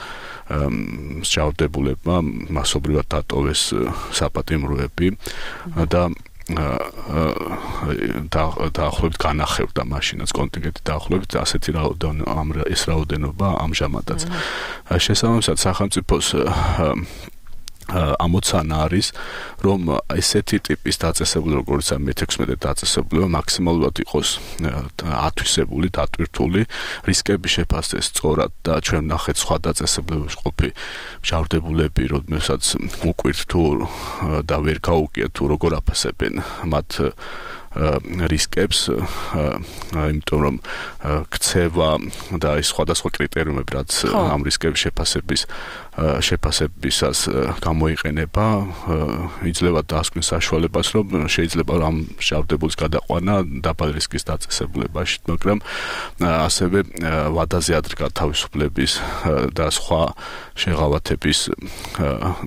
მშავდებულებმა მასობრივად დატოვეს საპატიმროები და დაახლოებით განახევდა მაშინაც კონტინგენტი დაახლოებით ასეთი რაოდენობა ამჟამადაც. შესაბამისად სახელმწიფოს ამოცანა არის რომ ესეთი ტიპის დაწესებულება როგორც მე-16 დაწესებულება მაქსიმალურად იყოს ათვისებული, დატვირთული, რისკები შეფასდეს სწორად და ჩვენ ნახეთ სხვა დაწესებულებებში ყოფილი მშავდებულები, როდესაც უკვირთ თუ და ვერ გაუგიათ თუ როგორ აფასებენ მათ რისკებს, იმიტომ რომ ქცევა და ის სხვადასხვა კრიტერიუმები რაც ამ რისკების შეფასებისას გამოიყენება, იძლევა დაასკვნის საშუალებას, რომ შეიძლება ამ მშავდებულის გადაყვანა დაბალი რისკის დაწესებულებაში, მაგრამ ასევე ვადაზე ადრე თავისუფლების და სხვა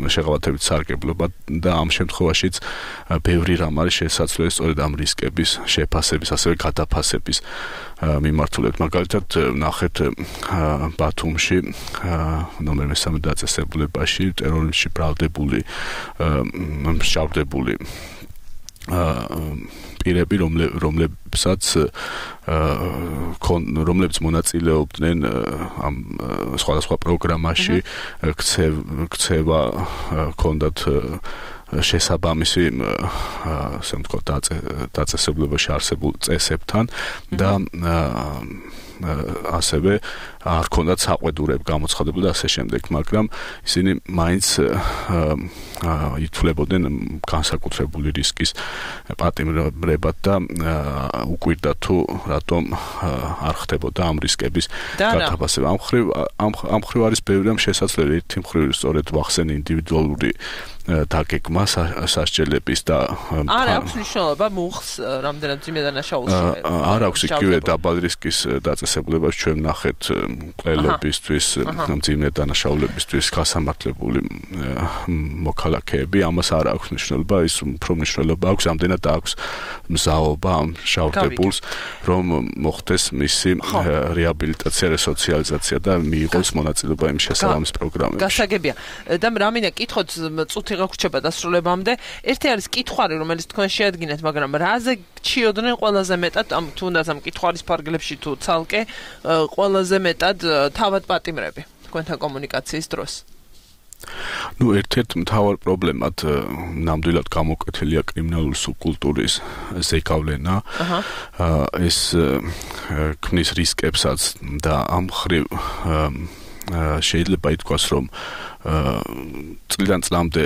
შეღავათებით სარგებლობა და ამ შემთხვევაშიც ბევრი რამ არის შესაძლებელი სწორედ ამ რისკების შეფასების, ასევე გადაფასების მიმართულებით. მაგალითად, ნახეთ ბათუმში ნომერ 3 დაწესებულებაში ტერორიზმში ბრალდებული მშავდებული პირები, რომლებიც მონაწილეობდნენ ამ სხვადასხვა პროგრამაში, ქცევა ჰქონდათ შესაბამისი ასე ვთქვათ დაწესებულებაში არსებულ წესებთან და ასევე არ ჰქონდათ საყვედურები გამოცხადებული და ასე შემდეგ, მაგრამ ისინი მაინც ითვლებოდნენ განსაკუთრებული რისკის პატიმრებად და უკვირდა თუ რატომ არ ხდებოდა ამ რისკების გადაფასება. ამ მხრივ არის ბევრი რამ შესაძლებელი. ერთი მხრივ სწორედ ვახსენე ინდივიდუალური დაგეგმა სასჯელების და არ აქვს მნიშვნელობა მუხს რამდენად ძიმე დანაშაულში არ აქვს იგივე დაბალი რისკის დაწესებულებას ჩვენ ნახეთ მკვლელებისთვის ძიმე დანაშაულებისთვის გასამართლებული მოქალაქეები ამას არ აქვს მნიშვნელობა ის უფრო მნიშვნელობა აქვს ამდენად აქვს მზაობა ამ შავდებულს რომ მოხდეს მისი რეაბილიტაცია რესოციალიზაცია და მიიღოს მონაწილეობა იმ შესაბამის პროგრამებში გასაგებია და რამინდა კითხოთ წუთი გაგვრჩება დასრულებამდე. ერთი არის კითხვარი, რომელიც თქვენ შეადგინეთ, მაგრამ რაზე გჩიოდნენ ყველაზე მეტად, თუნდაც ამ კითხვის ფარგლებში თუ ცალკე ყველაზე მეტად თავად პატიმრები თქვენთან კომუნიკაციის დროს? ნუ ერთ-ერთ მთავარ პრობლემად ნამდვილად გამოკვეთილია კრიმინალური სუბკულტურის ზეგავლენა. ეს ქმნის რისკებსაც და ამ მხრივ შეიძლება ითქვას, რომ წლიდან წლამდე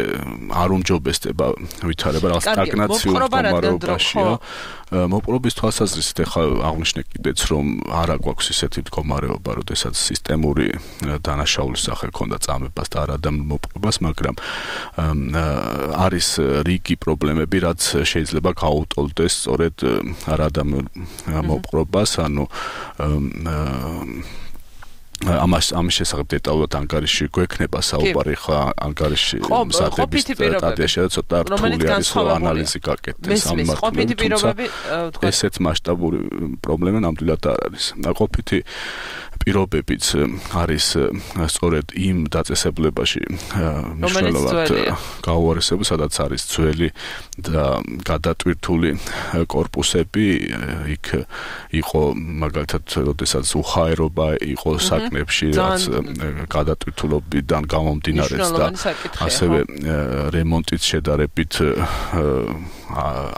არ უმჯობესდება ვითარება რაღაც სტაგნაციურ მდგომარეობაშია. მოპყრობის თვალსაზრისით ახლა აღნიშნე კიდეც, რომ არა გვაქვს ისეთი მდგომარეობა, როდესაც სისტემური დანაშაულის სახე ქონდა წამებას და არა და მოპყრობას, მაგრამ არის რიგი პრობლემები, რაც შეიძლება გაუტოლდეს სწორედ არადამიურ მოპყრობას, ანუ ამის შესახებ დეტალურად ანგარიში გვექნება საუბარი ხა ანგარიში მსახების სტატიაში და ცოტა რთული არის რომ ანალიზი გაკეთდეს ამ მართლობრივ ესეთ მასშტაბური პრობლემა ნამდვილად არ არის. ყოფითი პირობებიც არის სწორედ იმ დაწესებულებაში მნიშვნელოვნად გაუარესებული, სადაც არის ძველი და გადატვირთული კორპუსები, იქ იყო მაგალითად, როდესაც უხაერობა იყო საკნებში, რაც გადატვირთულობიდან გამომდინარეც და ასევე რემონტით შედარებით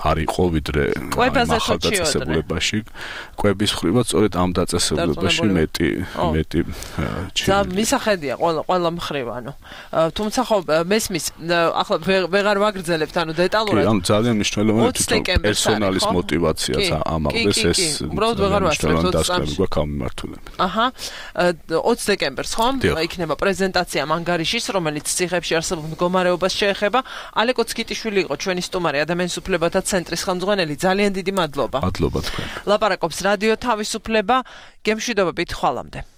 არ იყო ვიდრე ახალ დაწესებულებაში. კვების ხრივაც სწორედ ამ დაწესებულებაში მეტი და მისახედია ყველა მხრივ, ანუ თუმცა ხო მესმის ახლა ვეღარ ვაგრძელებთ, ანუ დეტალურად. კი, ანუ ძალიან მნიშვნელოვანია თვითონ პერსონალის მოტივაციაც ამაღლდეს, ეს უბრალოდ ვეღარ ვასწრებთ დასკვნები გვაქვს ამ მიმართულებით. 20 დეკემბერს ხომ იქნება პრეზენტაცია ანგარიშის, რომელიც ციხეებში არსებულ მდგომარეობას შეეხება. ალეკო ცკიტიშვილი იყო ჩვენი სტუმარი, ადამიანის უფლებათა ცენტრის ხელმძღვანელი. ძალიან დიდი მადლობა. მადლობა თქვენ. ლაპარაკობს რადიო თავისუფლება. გემშვიდობებით, ხვალამდე.